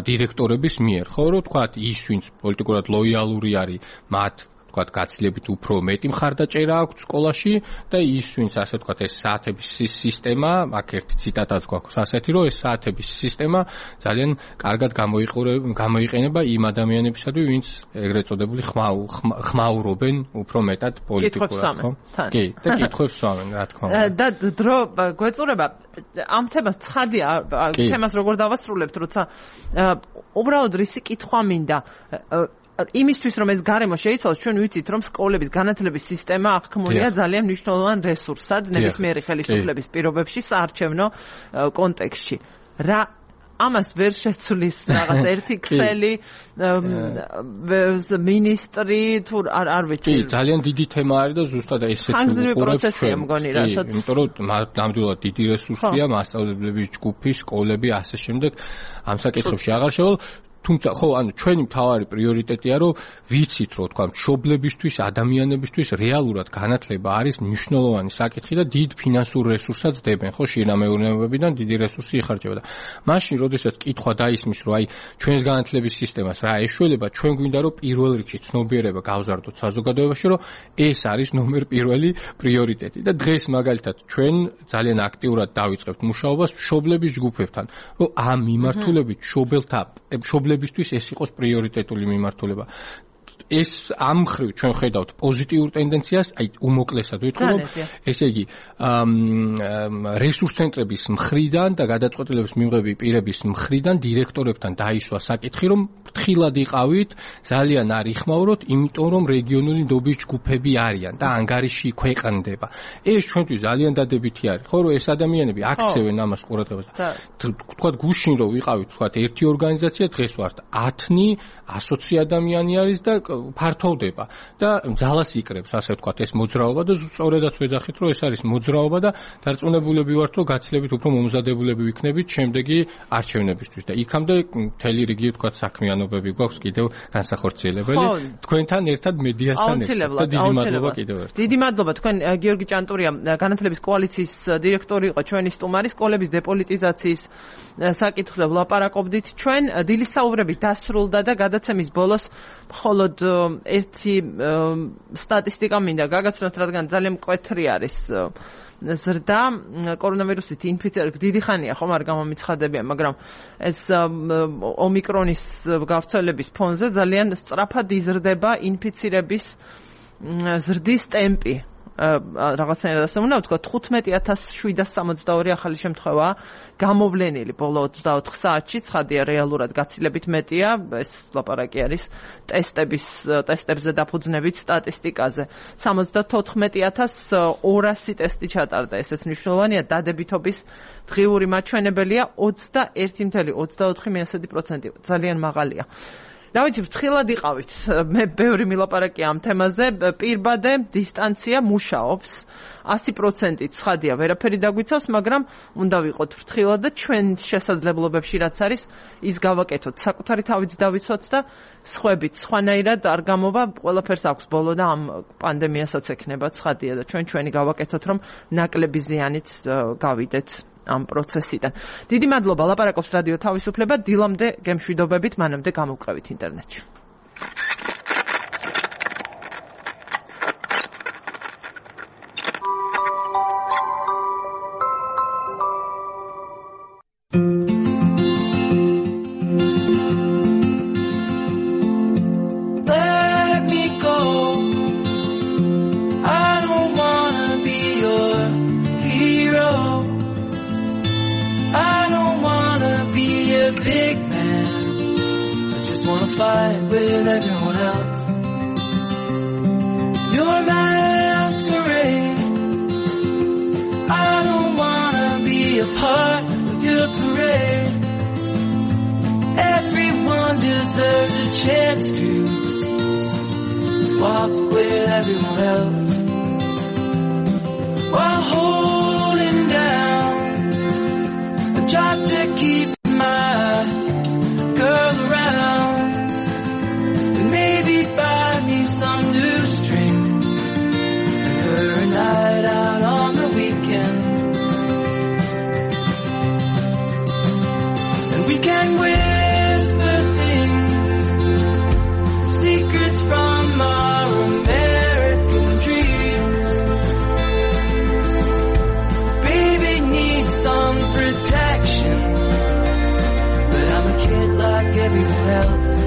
დირექტორების მიერ, ხო, რომ თქვათ, ის ვინც პოლიტიკურად ლოიალური არის, მათ ვთქვათ, გაცილებით უფრო მეტი მხარდაჭერა აქვს სკოლაში და ის ვინც ასე ვთქვათ, ეს საათების სისტემა, აქ ერთი ციტატაც გვაქვს ასეთი, რომ ეს საათების სისტემა ძალიან კარგად გამოიყენება იმ ადამიანებისადმი, ვინც ეგრეთ წოდებული ხმაურობენ უფრო მეტად პოლიტიკურად, ხო? კი, და კითხვებს სვამენ, რა თქმა უნდა. და დრო გვეწურება ამ თემას ცხადია, თემას როგორ დავასრულებთ, როცა უბრალოდ რისი კითხვა მინდა იმისთვის რომ ეს გარემო შეიცვალოს, ჩვენ ვიცით რომ სკოლების განათლების სისტემა აღქმულია ძალიან მნიშვნელოვან რესურსად ნებისმიერი ხელისუფლების პირობებში საარჩევნო კონტექსტში. რა ამას ვერ შეცვლის რაღაც ერთი ქსელი მინისტრი თუ არ ვიცი. კი, ძალიან დიდი თემა არის და ზუსტად ესეც უყურებს ჩვენ. იმიტომ რომ ნამდვილად დიდი რესურსია მასწავლებლების ჯგუფი, სკოლები, ასე შემდეგ ამ საკითხებში აღარ შევალ. თუმცა ხო, ანუ ჩვენი მთავარი პრიორიტეტია, რომ ვიცით, რომ თქვა, მშობლებისთვის, ადამიანებისთვის რეალურად განათლება არის მნიშვნელოვანი საკითხი და დიდ ფინანსურ რესურსსაც დებენ, ხო, შინამეურნეობებიდან დიდი რესურსი იხარჯება და მაშინ, როდესაც კითხვა დაისმის, რომ აი, ჩვენს განათლების სისტემას რა ეშველება, ჩვენ გვინდა, რომ პირველ რიგში ცნობიერება გავზარდოთ საზოგადოებაში, რომ ეს არის ნომერ პირველი პრიორიტეტი და დღეს მაგალითად ჩვენ ძალიან აქტიურად დავიწყებთ მუშაობას მშობლების ჯგუფებთან, რომ ამ მიმართულებით მშობლებისთვის ეს იყოს პრიორიტეტული მიმართულება. ეს ამ მხრივ ჩვენ ხედავთ პოზიტიურ ტენდენციას, აი უმოკლესად ვიტყვი, რომ ესე იგი რესურს ცენტრების მხრიდან და გადაწყვეტილების მიღების პირების მხრიდან დირექტორებთან დაისვა საკითხი, რომ ფრთხილად იყავით, ძალიან არ იხმაუროთ, იმიტომ რომ რეგიონული ნდობის ჯგუფები არიან და ანგარიში ქვეყნდება. ეს ჩვენთვის ძალიან დადებითი არის, ხო, რომ ეს ადამიანები აქცევენ ამას ყურადღებას. თქვათ გუშინ რომ ვიყავით, თქვათ ერთი ორგანიზაცია, დღეს ვართ 10, 120 ადამიანი არის და ფართოვდება და ძალას იკრებს, ასე ვთქვათ, ეს მოძრაობა და სწორედაც ვეძახით, რომ ეს არის მოძრაობა და დარწმუნებულები ვართ, რომ გაცილებით უფრო მომზადებულები ვიქნებით შემდეგი არჩევნებისთვის და იქამდე მთელი რიგი ვთქვათ საქმიანობები გვაქვს კიდევ განსახორციელებელი. თქვენთან ერთად მედიასთან ერთად და დიდი მადლობა კიდევ ერთხელ. დიდი მადლობა. თქვენ გიორგი ჭანტურია, განათლების კოალიციის დირექტორი იყო ჩვენი სტუმარი, სკოლების დეპოლიტიზაციის საკითხზე ვლაპარაკობდით ჩვენ. დილის საუბრები დასრულდა და გადაცემის ბოლოს მხოლოდ ერთი სტატისტიკა მინდა გაგაცნოთ, რადგან ძალიან მკვეთრი არის ზრდა კორონავირუსით ინფიცირების. დიდი ხანია ხომ არ გამომიცხადებიან, მაგრამ ეს ომიკრონის გავრცელების ფონზე ძალიან სწრაფად იზრდება ინფიცირების ზრდის ტემპი. რაღაცნაირად ასე უნდა ვთქვა 15762 ახალი შემთხვევა გამოვლენილი ბოლო 24 საათში, ცხადია რეალურად გაცილებით მეტია, ეს ლაპარაკი არის ტესტებზე დაფუძნებით სტატისტიკაზე. 74200 ტესტი ჩატარდა, ესეც მნიშვნელოვანია, დადებითობის დღიური მაჩვენებელია 21.24%, ძალიან მაღალია. დავით, ფრთხილად იყავით. მე ბევრი მილაპარაკია ამ თემაზე. პირბადე დისტანცია მუშაობს. 100% ცხადია, ვერაფერი დაგვიცავს, მაგრამ უნდა ვიყოთ ფრთხილად და ჩვენ შესაძლებლობებში რაც არის, ის გავაკეთოთ. საკუთარი თავიც დავიცვათ და სხვებით სხვანაირად არ გამოვა, ყველაფერს აქვს ბოლო და ამ პანდემიასაც ექნება ცხადია და ჩვენი გავაკეთოთ, რომ ნაკლები ზიანით გავიდეთ ამ პროცესიდან. დიდი მადლობა, ლაპარაკობს რადიო თავისუფლება, დილამდე გემშვიდობებით, მანამდე გამოვყევით ინტერნეტში. Fight with everyone else. You're my masquerade. I don't wanna be a part of your parade. Everyone deserves a chance to walk with everyone else while holding down a job to keep my girl around. Maybe buy me some new strings and her a night out on the weekend. And we can whisper things, secrets from our American dreams. Baby needs some protection, but I'm a kid like everyone else.